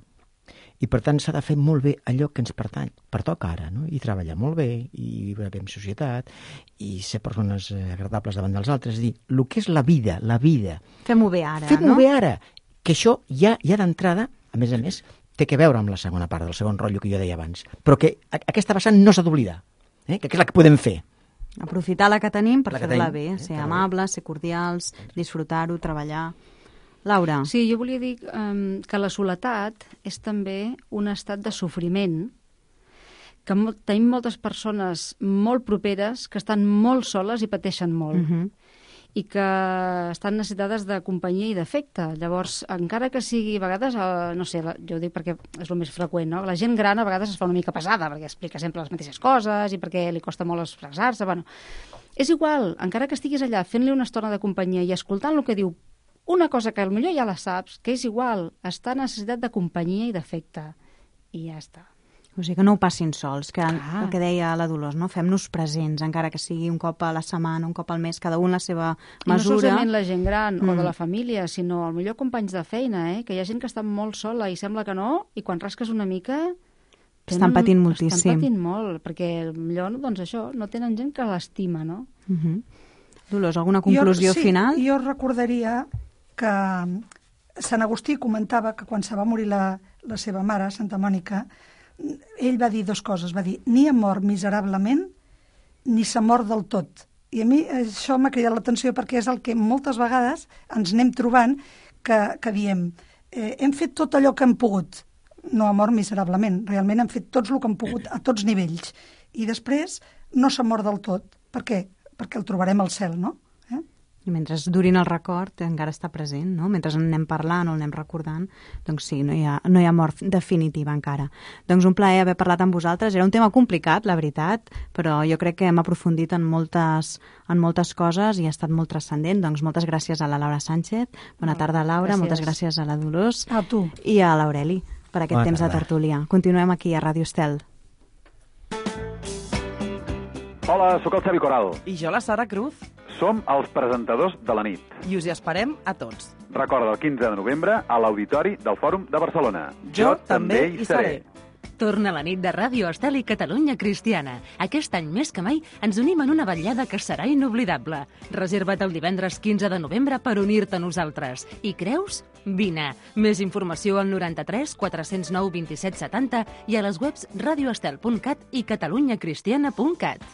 I, per tant, s'ha de fer molt bé allò que ens pertany, pertoca ara, no? I treballar molt bé, i viure bé en societat, i ser persones agradables davant dels altres. És a dir, el que és la vida, la vida... Fem-ho bé ara, Fem-ho no? bé ara, que això ja, ja d'entrada, a més a més, té que veure amb la segona part, del segon rotllo que jo deia abans, però que aquesta vessant no s'ha d'oblidar, eh? Que és la que podem fer. Aprofitar la que tenim per fer-la bé, eh? ser amables, ser cordials, disfrutar-ho, treballar... Laura. Sí, jo volia dir um, que la soledat és també un estat de sofriment, que mo- tenim moltes persones molt properes que estan molt soles i pateixen molt, Uh-huh. i que estan necessitades de companyia i d'afecte. Llavors, encara que sigui a vegades, eh, no sé, la, jo ho dic perquè és el més freqüent, no? La gent gran a vegades es fa una mica pesada, perquè explica sempre les mateixes coses i perquè li costa molt expressar-se. Bueno, és igual, encara que estiguis allà fent-li una estona de companyia i escoltant el que diu, una cosa que potser ja la saps, que és igual, està necessitat de companyia i d'afecte. I ja està. O sigui que no ho passin sols, que Ah. el que deia la Dolors, no? Fem-nos presents, encara que sigui un cop a la setmana, un cop al mes, cada un la seva I no mesura. solament la gent gran mm. o Mm. de la família, sinó al millor companys de feina, eh? Que hi ha gent que està molt sola i sembla que no, i quan rasques una mica... Estan patint moltíssim. Estan patint molt, perquè millor, doncs això, no tenen gent que l'estima, no? Uh-huh. Dolors, alguna conclusió jo, sí, final? Jo recordaria que Sant Agustí comentava que quan se va morir la, la seva mare, Santa Mònica, ell va dir dues coses, va dir, ni ha mort miserablement, ni s'ha mort del tot. I a mi això m'ha cridat l'atenció perquè és el que moltes vegades ens anem trobant que, que diem, eh, hem fet tot allò que hem pogut, no ha mort miserablement, realment hem fet tots el que hem pogut a tots nivells. I després no s'ha mort del tot. Per què? Perquè el trobarem al cel, no? Eh? I mentre durin el record encara està present, no? Mentre en anem parlant o en anem recordant, doncs sí, no hi ha, no hi ha mort definitiva encara. Doncs un plaer haver parlat amb vosaltres. Era un tema complicat, la veritat, però jo crec que hem aprofundit en moltes, en moltes coses i ha estat molt transcendent. Doncs moltes gràcies a la Laura Sánchez. Bona tarda, Laura. Gràcies. Moltes gràcies a la Dolors. A tu. I a l'Aureli per aquest Bona temps tarda. De tertúlia. Continuem aquí a Ràdio Estel. Hola, sóc el Xavi Coral. I jo, la Sara Cruz. Som els presentadors de la nit. I us hi esperem a tots. Recorda, el quinze de novembre a l'Auditori del Fòrum de Barcelona. Jo, jo també hi seré. Torna la nit de Ràdio Estel i Catalunya Cristiana. Aquest any més que mai ens unim en una vetllada que serà inoblidable. Reserva't el divendres quinze de novembre per unir-te a nosaltres. I creus? Vine. Més informació al noranta-tres quatre zero nou vint set setanta i a les webs radioestel punt cat i catalunyacristiana punt cat.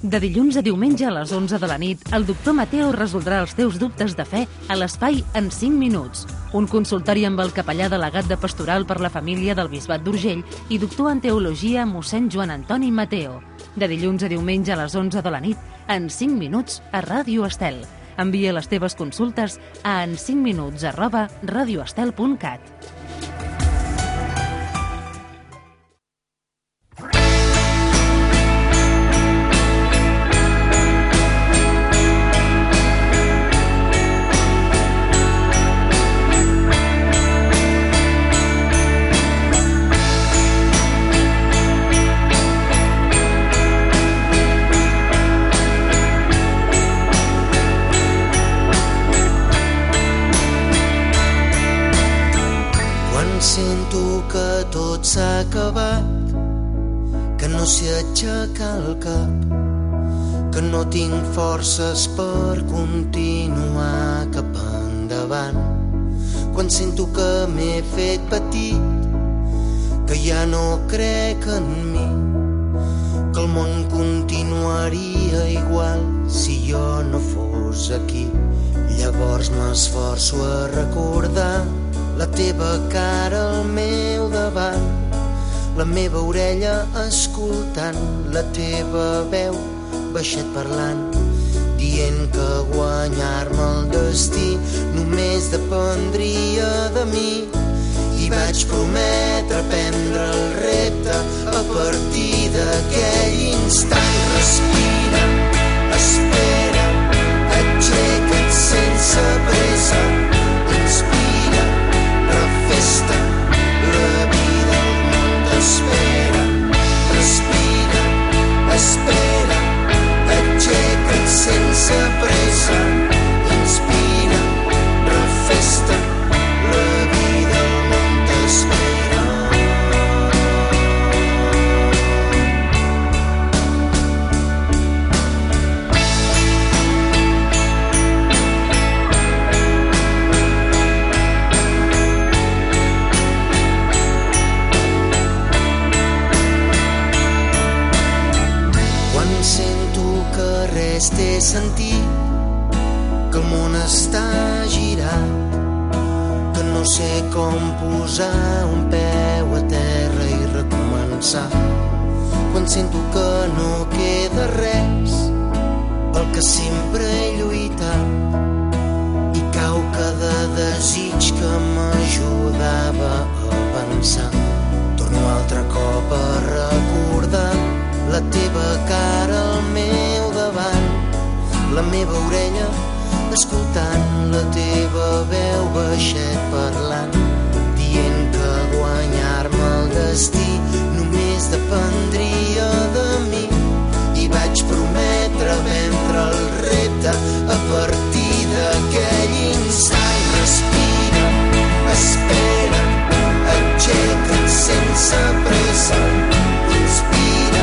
De dilluns a diumenge a les onze de la nit, el doctor Mateo resoldrà els teus dubtes de fe a l'espai En cinc minuts. Un consultori amb el capellà delegat de Pastoral per la Família del Bisbat d'Urgell i doctor en Teologia mossèn Joan Antoni Mateo. De dilluns a diumenge a les onze de la nit, En cinc minuts a Ràdio Estel. Envia les teves consultes a en cinc minuts arroba radioestel punt cat. s'ha acabat, que no sé aixecar el cap, que no tinc forces per continuar cap endavant. Quan sento que m'he fet petit, que ja no crec en mi, que el món continuaria igual si jo no fos aquí. Llavors m'esforço a recordar la teva cara al meu davant, la meva orella escoltant, la teva veu baixet parlant, dient que guanyar-me el destí només dependria de mi. I vaig prometre prendre el repte a partir d'aquell instant. Respira, espera, aixeca't sense pressa, inspira, refesta, la vida al món t'espera. Respira, espera, aixeca't sense pressa, inspira, refesta, la vida al món t'espera. Quan sento que res té sentit, que el món està girat, que no sé com posar un peu a terra i recomençar. Quan sento que no queda res pel que sempre he lluitat i cau cada desig que m'ajudava a avançar. Torno altre cop a recordar la teva cara al meu davant, la meva orella escoltant, la teva veu baixet parlant, dient que guanyar-me el destí només dependria de mi. I vaig prometre vendre el repte a partir d'aquell instant. Respira, espera, aixeca't sense pressa, inspira,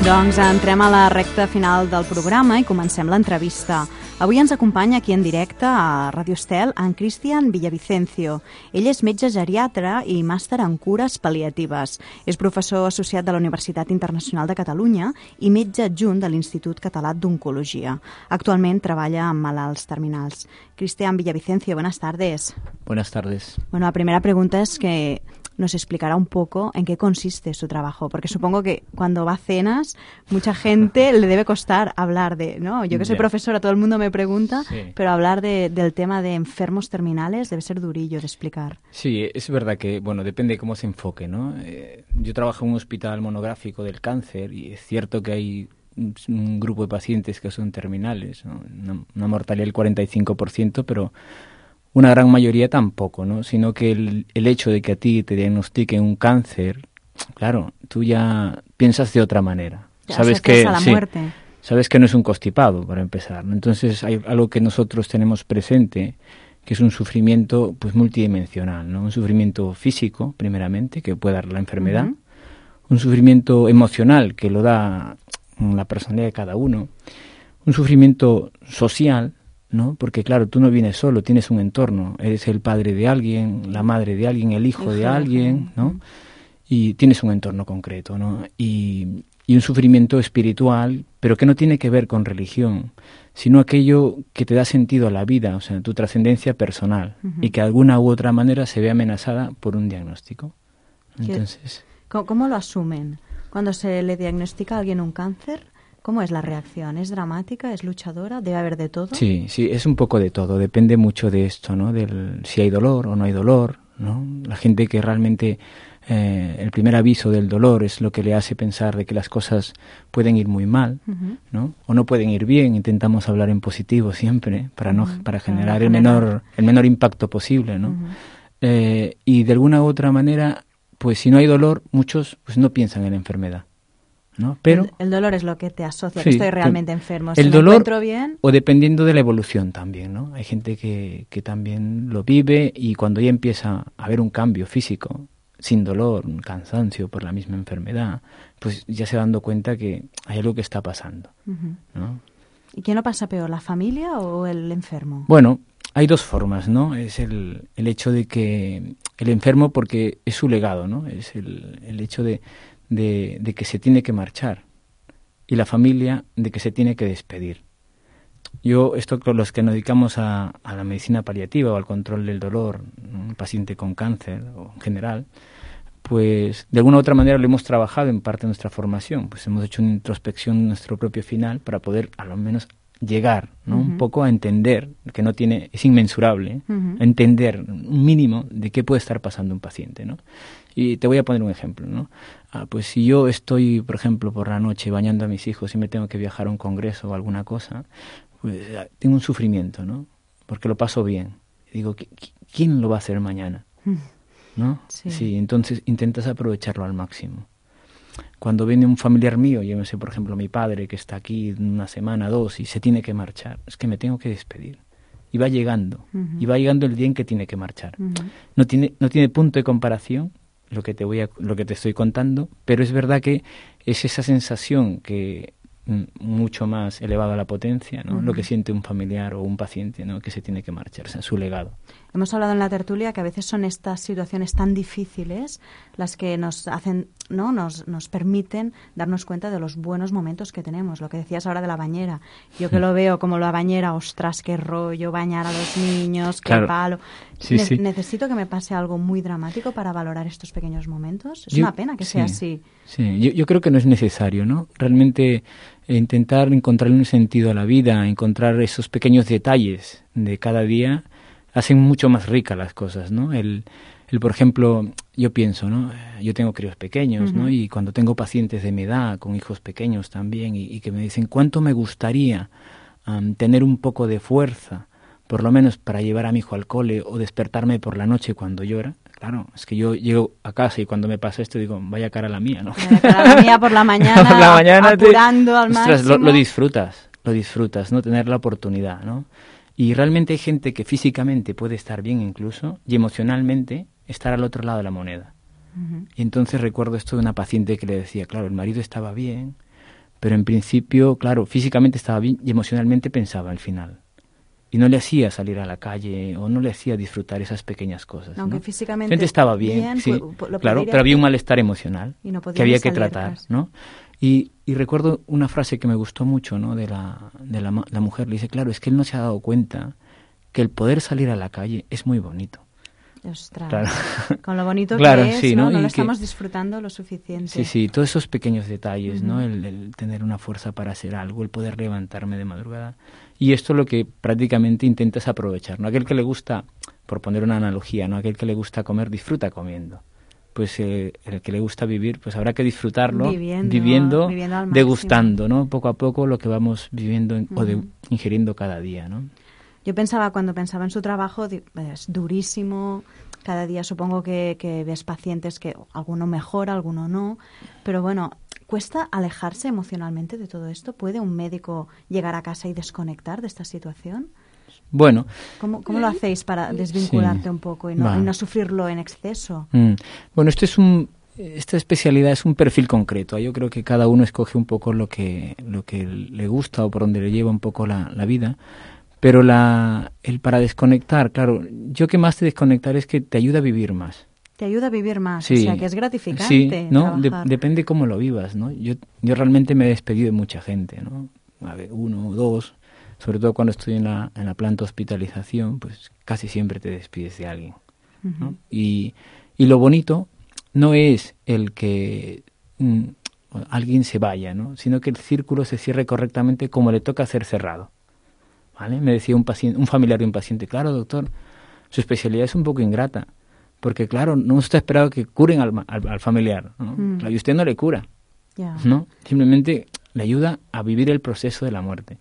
Doncs entrem a la recta final del programa i comencem l'entrevista. Avui ens acompanya aquí en directe a Radio Estel en Cristian Villavicencio. Ell és metge geriatra i màster en cures pal·liatives. És professor associat de la Universitat Internacional de Catalunya i metge adjunt de l'Institut Català d'Oncologia. Actualment treballa amb malalts terminals. Cristian Villavicencio, buenas tardes. Buenas tardes. Bueno, la primera pregunta es que nos explicará un poco en qué consiste su trabajo, porque supongo que cuando va a cenas mucha gente le debe costar hablar de, ¿no? Yo que soy yeah. profesora, todo el mundo me pregunta, sí. pero hablar de, del tema de enfermos terminales debe ser durillo de explicar. Sí, es verdad que, bueno, depende de cómo se enfoque, ¿no? Eh, yo trabajo en un hospital monográfico del cáncer y es cierto que hay un, un grupo de pacientes que son terminales, ¿no? Una, una mortalidad del cuarenta y cinco por ciento, pero una gran mayoría tampoco, ¿no? Sino que el, el hecho de que a ti te diagnostiquen un cáncer, claro, tú ya piensas de otra manera. Ya, sabes que a la sí, muerte. Sabes que no es un constipado, para empezar, ¿no? Entonces hay algo que nosotros tenemos presente, que es un sufrimiento pues multidimensional, ¿no? Un sufrimiento físico, primeramente, que puede dar la enfermedad, uh-huh. un sufrimiento emocional, que lo da la personalidad de cada uno, un sufrimiento social, ¿no? Porque claro, tú no vienes solo, tienes un entorno, eres el padre de alguien, la madre de alguien, el hijo de alguien, ¿no? Y tienes un entorno concreto, ¿no? Y, y un sufrimiento espiritual, pero que no tiene que ver con religión, sino aquello que te da sentido a la vida, o sea, tu trascendencia personal, uh-huh. y que de alguna u otra manera se ve amenazada por un diagnóstico. Entonces, ¿Cómo, ¿Cómo lo asumen? Cuando se le diagnostica a alguien un cáncer, ¿cómo es la reacción? ¿Es dramática? ¿Es luchadora? ¿Debe haber de todo? Sí, sí, es un poco de todo. Depende mucho de esto, ¿no? Del si hay dolor o no hay dolor, ¿no? La gente que realmente eh, el primer aviso del dolor es lo que le hace pensar de que las cosas pueden ir muy mal, uh-huh. ¿no? O no pueden ir bien. Intentamos hablar en positivo siempre para no uh-huh. para generar para el generar. menor el menor impacto posible, ¿no? Uh-huh. Eh, y de alguna u otra manera, pues si no hay dolor, muchos pues no piensan en la enfermedad, ¿no? Pero el, el dolor es lo que te asocia, sí, que estoy realmente enfermo. El si dolor, me encuentro bien, o dependiendo de la evolución también, ¿no? Hay gente que, que también lo vive y cuando ya empieza a haber un cambio físico, sin dolor, un cansancio por la misma enfermedad, pues ya se va dando cuenta que hay algo que está pasando, uh-huh. ¿no? ¿Y quién lo pasa peor, la familia o el enfermo? Bueno, hay dos formas, ¿no? Es el, el hecho de que el enfermo, porque es su legado, ¿no? Es el, el hecho de De, de que se tiene que marchar y la familia de que se tiene que despedir. Yo, esto con los que nos dedicamos a, a la medicina paliativa o al control del dolor, un paciente con cáncer o en general, pues de alguna u otra manera lo hemos trabajado en parte de nuestra formación, pues hemos hecho una introspección de nuestro propio final para poder a lo menos llegar, ¿no? Uh-huh. un poco a entender, que no tiene, es inmensurable, ¿eh? uh-huh. a entender un mínimo de qué puede estar pasando un paciente, ¿no? Y te voy a poner un ejemplo, ¿no? Ah, pues si yo estoy, por ejemplo, por la noche bañando a mis hijos y me tengo que viajar a un congreso o alguna cosa, pues tengo un sufrimiento, ¿no? Porque lo paso bien. Y digo, ¿quién lo va a hacer mañana? ¿No? Sí. sí, entonces intentas aprovecharlo al máximo. Cuando viene un familiar mío, yo no sé, por ejemplo, mi padre que está aquí una semana, dos, y se tiene que marchar, es que me tengo que despedir. Y va llegando, uh-huh. y va llegando el día en que tiene que marchar. Uh-huh. No tiene, no tiene punto de comparación lo que te voy a, lo que te estoy contando, pero es verdad que es esa sensación que mucho más elevada a la potencia, ¿no? Uh-huh. Lo que siente un familiar o un paciente, ¿no? Que se tiene que marchar, o sea, su legado. Hemos hablado en la tertulia que a veces son estas situaciones tan difíciles las que nos hacen, ¿no? Nos, nos permiten darnos cuenta de los buenos momentos que tenemos. Lo que decías ahora de la bañera. Yo que lo veo como la bañera, ostras, qué rollo, bañar a los niños, qué claro. palo. Sí, ne- sí. Necesito que me pase algo muy dramático para valorar estos pequeños momentos. Es yo, una pena que sí, sea así. Sí, yo, yo creo que no es necesario, ¿no? Realmente eh, intentar encontrarle un sentido a la vida, encontrar esos pequeños detalles de cada día, hacen mucho más ricas las cosas, ¿no? El, el, por ejemplo, yo pienso, ¿no? Yo tengo críos pequeños, uh-huh. ¿no? Y cuando tengo pacientes de mi edad, con hijos pequeños también, y, y que me dicen, ¿cuánto me gustaría um, tener un poco de fuerza, por lo menos para llevar a mi hijo al cole o despertarme por la noche cuando llora? Claro, es que yo llego a casa y cuando me pasa esto digo, vaya cara la mía, ¿no? Vaya cara la mía por la mañana, por la mañana apurando te, al máximo. Ostras, lo, lo disfrutas, lo disfrutas, ¿no? Tener la oportunidad, ¿no? Y realmente hay gente que físicamente puede estar bien incluso y emocionalmente estar al otro lado de la moneda. Uh-huh. Y entonces recuerdo esto de una paciente que le decía, claro, el marido estaba bien, Pero en principio, claro, físicamente estaba bien y emocionalmente pensaba al final. Y no le hacía salir a la calle o no le hacía disfrutar esas pequeñas cosas. Aunque ¿no? físicamente estaba bien, bien sí, lo claro, pero había un malestar emocional no que había que tratar, ¿no? Y, y recuerdo una frase que me gustó mucho, ¿no? De la de la, la mujer, le dice, claro, es que él no se ha dado cuenta que el poder salir a la calle es muy bonito. Ostras, claro. Con lo bonito claro, que es, sí, ¿no? ¿no? No lo que, estamos disfrutando lo suficiente. Sí, sí, todos esos pequeños detalles, uh-huh. ¿no? El, el tener una fuerza para hacer algo, el poder levantarme de madrugada. Y esto es lo que prácticamente intentas aprovechar, ¿no? Aquel que le gusta, por poner una analogía, ¿no? Aquel que le gusta comer, disfruta comiendo. Pues eh, el que le gusta vivir, pues habrá que disfrutarlo viviendo, viviendo, viviendo degustando, ¿no? Poco a poco lo que vamos viviendo en, uh-huh. o de, ingiriendo cada día, ¿no? Yo pensaba, cuando pensaba en su trabajo, es durísimo. Cada día supongo que, que ves pacientes que alguno mejora, alguno no. Pero bueno, ¿cuesta alejarse emocionalmente de todo esto? ¿Puede un médico llegar a casa y desconectar de esta situación? Bueno. ¿Cómo, cómo lo hacéis para desvincularte sí, un poco y no, y no sufrirlo en exceso? Mm. Bueno, esto es un... Esta especialidad es un perfil concreto. Yo creo que cada uno escoge un poco lo que, lo que le gusta o por donde le lleva un poco la, la vida. Pero la, el para desconectar, claro, yo que más te desconectar es que te ayuda a vivir más. Te ayuda a vivir más, sí, o sea, que es gratificante. Sí, ¿no? De, depende cómo lo vivas, ¿no? Yo, yo realmente me he despedido de mucha gente, ¿no? A ver, uno o dos, sobre todo cuando estoy en la, en la planta de hospitalización, pues casi siempre te despides de alguien, ¿no? Uh-huh. Y, y lo bonito no es el que mm, alguien se vaya, ¿no? Sino que el círculo se cierre correctamente como le toca ser cerrado. ¿Vale? Me decía un paciente, un familiar de un paciente, claro, doctor, su especialidad es un poco ingrata, porque claro, no está esperado que curen al, al, al familiar, ¿no? Mm. Claro, y usted no le cura, yeah. ¿no? Simplemente le ayuda a vivir el proceso de la muerte.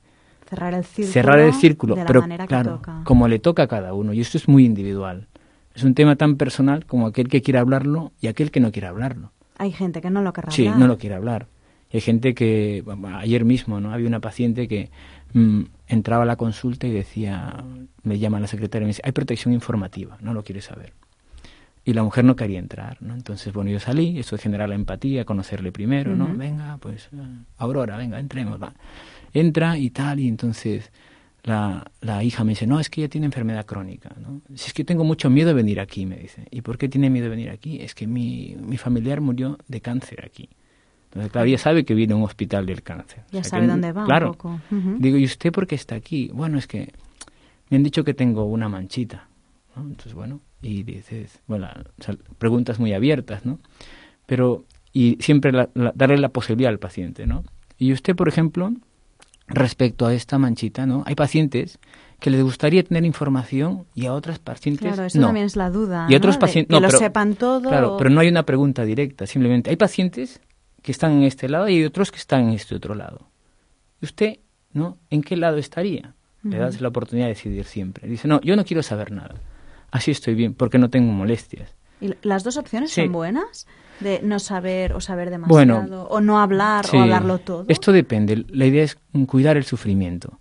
Cerrar el círculo. Cerrar el círculo, de la pero manera claro, que toca. Como le toca a cada uno, y esto es muy individual. Es un tema tan personal como aquel que quiere hablarlo y aquel que no quiere hablarlo. Hay gente que no lo querrá sí, hablar. Sí, no lo quiere hablar. Y hay gente que, ayer mismo, ¿no? Había una paciente que mmm, entraba a la consulta y decía, me llama la secretaria y me dice, hay protección informativa, no lo quiere saber. Y la mujer no quería entrar, ¿no? Entonces, bueno, yo salí, eso es generar la empatía, conocerle primero, ¿no? Uh-huh. Venga, pues, Aurora, venga, entremos, va. Entra y tal, y entonces la, la hija me dice, no, es que ella tiene enfermedad crónica, ¿no? Si es que tengo mucho miedo de venir aquí, me dice. ¿Y por qué tiene miedo de venir aquí? Es que mi, mi familiar murió de cáncer aquí. Entonces, claro, ella sabe que viene a un hospital del cáncer. Ya o sea, sabe que, dónde va claro, un poco. Uh-huh. Digo, ¿y usted por qué está aquí? Bueno, es que me han dicho que tengo una manchita, ¿no? Entonces, bueno, y dices, bueno, o sea, preguntas muy abiertas, ¿no? Pero, y siempre la, la, darle la posibilidad al paciente, ¿no? Y usted, por ejemplo, respecto a esta manchita, ¿no? Hay pacientes que les gustaría tener información y a otras pacientes claro, eso no. también es la duda, y otros ¿no? pacientes de, que no, lo pero, sepan todo. Claro, pero no hay una pregunta directa, simplemente hay pacientes que están en este lado y hay otros que están en este otro lado. ¿Y usted, no? ¿En qué lado estaría? Uh-huh. Le das la oportunidad de decidir siempre. Dice, no, yo no quiero saber nada. Así estoy bien, porque no tengo molestias. ¿Y las dos opciones sí. son buenas? De no saber o saber demasiado, bueno, o no hablar sí. o hablarlo todo. Esto depende. La idea es cuidar el sufrimiento,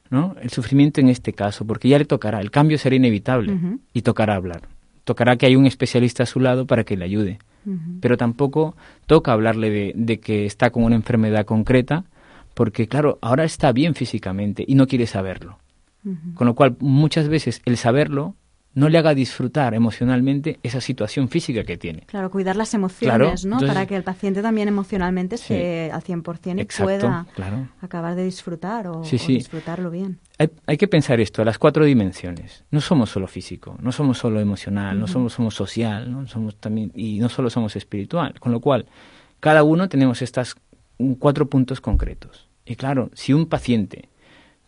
¿no? El sufrimiento en este caso, porque ya le tocará. El cambio será inevitable uh-huh. y tocará hablar. Tocará que haya un especialista a su lado para que le ayude. Uh-huh. Pero tampoco toca hablarle de, de que está con una enfermedad concreta, porque claro, ahora está bien físicamente y no quiere saberlo. Uh-huh. Con lo cual, muchas veces el saberlo no le haga disfrutar emocionalmente esa situación física que tiene. Claro, cuidar las emociones, claro, ¿no? Entonces, para que el paciente también emocionalmente sí, esté al cien por ciento y exacto, pueda claro. acabar de disfrutar o, sí, sí. o disfrutarlo bien. Hay, hay que pensar esto, las cuatro dimensiones. No somos solo físico, no somos solo emocional, uh-huh. no somos, somos social, ¿no? Somos también, y no solo somos espiritual. Con lo cual, cada uno tenemos estos cuatro puntos concretos. Y claro, si un paciente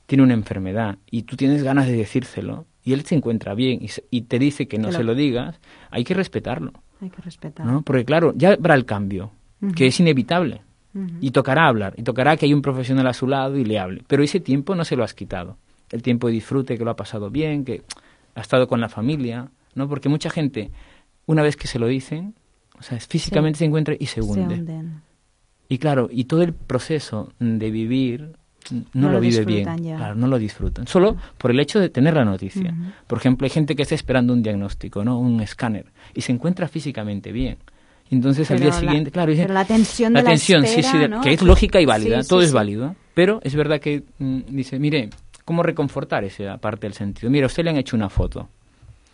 tiene una enfermedad y tú tienes ganas de decírselo, y él se encuentra bien y, se, y te dice que no que lo... se lo digas, hay que respetarlo. Hay que respetarlo. ¿No? Porque claro, ya habrá el cambio, uh-huh. que es inevitable. Uh-huh. Y tocará hablar, y tocará que hay un profesional a su lado y le hable. Pero ese tiempo no se lo has quitado. El tiempo de disfrute, que lo ha pasado bien, que ha estado con la familia, ¿no? Porque mucha gente, una vez que se lo dicen, o sea, físicamente sí. se encuentra y se hunde. Se hunden. Y claro, y todo el proceso de vivir no, no lo, lo vive bien, ya. Claro, no lo disfrutan. Solo por el hecho de tener la noticia. Uh-huh. Por ejemplo, hay gente que está esperando un diagnóstico, ¿no? Un escáner, y se encuentra físicamente bien. Entonces pero al día la, siguiente, claro, pero la tensión la de tensión, la espera, sí, sí, ¿no? que es lógica y válida, sí, todo sí, es sí. válido, pero es verdad que mm, dice, mire, ¿cómo reconfortar esa parte del sentido? Mira, a usted le han hecho una foto.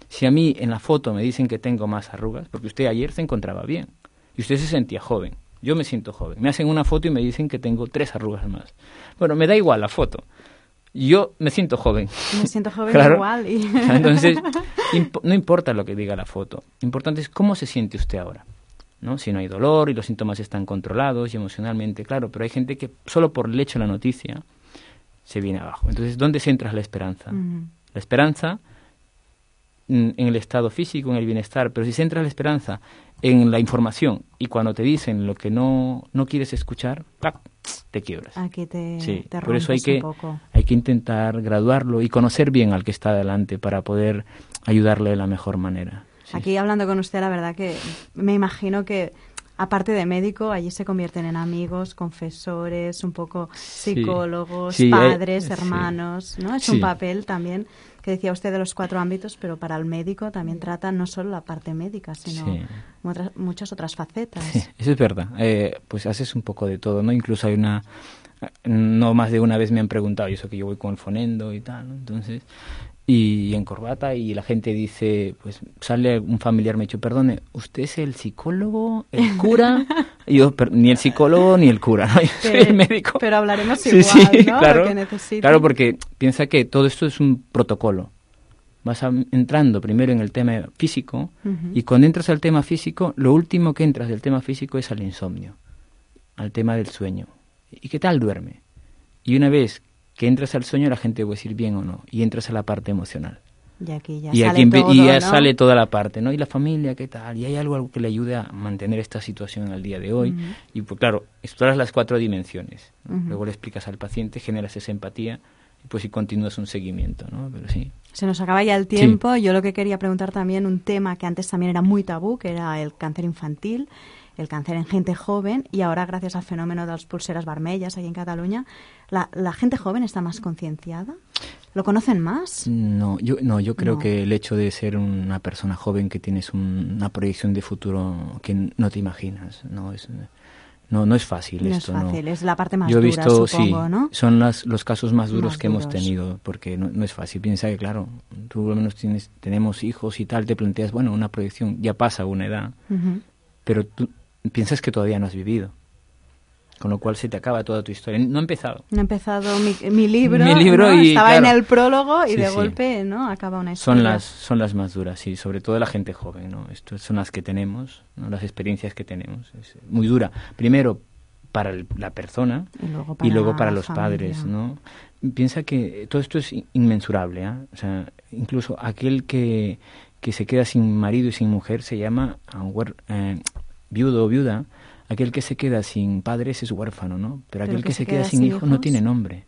Si a mí en la foto me dicen que tengo más arrugas, porque usted ayer se encontraba bien y usted se sentía joven, yo me siento joven. Me hacen una foto y me dicen que tengo tres arrugas más. Bueno, me da igual la foto. Yo me siento joven. Me siento joven claro. igual. Y... Entonces, imp- no importa lo que diga la foto. Importante es cómo se siente usted ahora, ¿no? Si no hay dolor y los síntomas están controlados y emocionalmente, claro, pero hay gente que solo por el hecho de la noticia se viene abajo. Entonces, ¿dónde centras la esperanza? Uh-huh. La esperanza en el estado físico, en el bienestar, pero si centras la esperanza en la información y cuando te dicen lo que no, no quieres escuchar, ¡plac!, te quiebras. Aquí te, sí, te por eso hay que, un poco. hay que intentar graduarlo y conocer bien al que está delante para poder ayudarle de la mejor manera. Sí. Aquí hablando con usted, la verdad que me imagino que aparte de médico, allí se convierten en amigos, confesores, un poco psicólogos, sí, sí, padres, eh, hermanos, sí. ¿no? Es sí. un papel también que decía usted de los cuatro ámbitos, pero para el médico también trata no solo la parte médica, sino sí. otras, muchas otras facetas. Sí, eso es verdad. Eh, pues haces un poco de todo, ¿no? Incluso hay una... No más de una vez me han preguntado, y eso que yo voy con el fonendo y tal, ¿no? Entonces... Y en corbata, y la gente dice, pues sale un familiar, me ha dicho, perdone, ¿usted es el psicólogo, el cura? Y yo, pero, ni el psicólogo ni el cura, ¿no? Yo soy el médico. Pero hablaremos sí, igual, sí, ¿no? Claro, Lo que necesite. Claro, porque piensa que todo esto es un protocolo. Vas a, entrando primero en el tema físico, uh-huh. y cuando entras al tema físico, lo último que entras del tema físico es al insomnio, al tema del sueño. ¿Y qué tal duerme? Y una vez que entras al sueño, la gente puede decir bien o no, y entras a la parte emocional. Y aquí ya y sale aquí, todo, y ya ¿no? sale toda la parte, ¿no? Y la familia, ¿qué tal? Y hay algo, algo que le ayude a mantener esta situación al día de hoy. Uh-huh. Y pues claro, exploras las cuatro dimensiones, ¿no? Uh-huh. Luego le explicas al paciente, generas esa empatía, y pues si continúas un seguimiento, ¿no? Pero sí. Se nos acaba ya el tiempo. Sí. Yo lo que quería preguntar también, un tema que antes también era muy tabú, que era el cáncer infantil, el cáncer en gente joven, y ahora gracias al fenómeno de las pulseras vermellas aquí en Cataluña, ¿la, la gente joven está más concienciada? ¿Lo conocen más? No, yo no, yo creo no. que el hecho de ser una persona joven que tienes un, una proyección de futuro que no te imaginas, no es no no es fácil no esto, es fácil, no. Es la parte más yo he dura, visto, supongo, sí, ¿no? Son las, los casos más duros más que duros. hemos tenido, porque no, no es fácil. Piensa que, claro, tú por lo menos tienes, tenemos hijos y tal, te planteas, bueno, una proyección, ya pasa una edad, uh-huh. pero tú piensas que todavía no has vivido, con lo cual se te acaba toda tu historia. No ha empezado. No ha empezado mi, mi libro, mi libro ¿no? y, estaba claro, en el prólogo y sí, de sí. golpe no acaba una historia. Son las, son las más duras, sí, sobre todo la gente joven, ¿no? Estas son las que tenemos, ¿no? Las experiencias que tenemos. Es muy dura. Primero para el, la persona y luego para, y luego para los familia. padres, ¿no? Piensa que todo esto es inmensurable, ¿eh? O sea, incluso aquel que, que se queda sin marido y sin mujer se llama uh, eh, viudo o viuda. Aquel que se queda sin padres es huérfano, ¿no? Pero, Pero aquel que, que se queda, queda sin hijos, hijos no tiene nombre.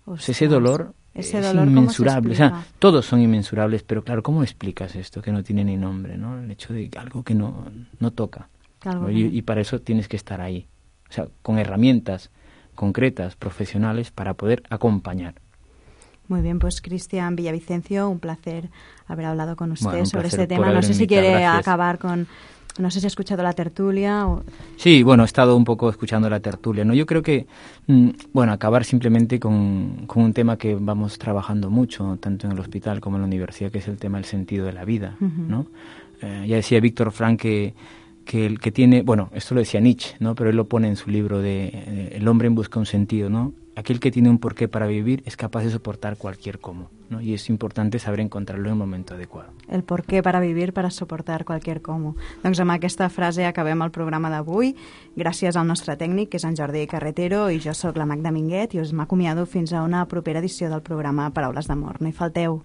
O sea, ese dolor ese es dolor, inmensurable. O sea, todos son inmensurables, pero claro, ¿cómo explicas esto que no tiene ni nombre, ¿no? El hecho de algo que no, no toca. Claro, y, y para eso tienes que estar ahí. O sea, con herramientas concretas, profesionales, para poder acompañar. Muy bien, pues Cristian Villavicencio, un placer haber hablado con usted bueno, sobre este tema. No sé si quiere gracias. acabar con... No sé si ha escuchado la tertulia. O... Sí, bueno, he estado un poco escuchando la tertulia, ¿no? Yo creo que, mmm, bueno, acabar simplemente con, con un tema que vamos trabajando mucho, tanto en el hospital como en la universidad, que es el tema del sentido de la vida, uh-huh. ¿no? Eh, ya decía Víctor Frank que, que el que tiene, bueno, esto lo decía Nietzsche, ¿no? Pero él lo pone en su libro de eh, El hombre en busca de un sentido, ¿no? Aquel que tiene un porqué para vivir es capaz de soportar cualquier cómo, ¿no? Y es importante saber encontrarlo en el momento adecuado. El porqué para vivir, para soportar qualsevol cómo. Doncs amb aquesta frase acabem el programa d'avui. Gràcies al nostre tècnic, que és en Jordi Carretero, i jo sóc la Magda Minguet, i us m'acomiado fins a una propera edició del programa Paraules d'Amor. No hi falteu.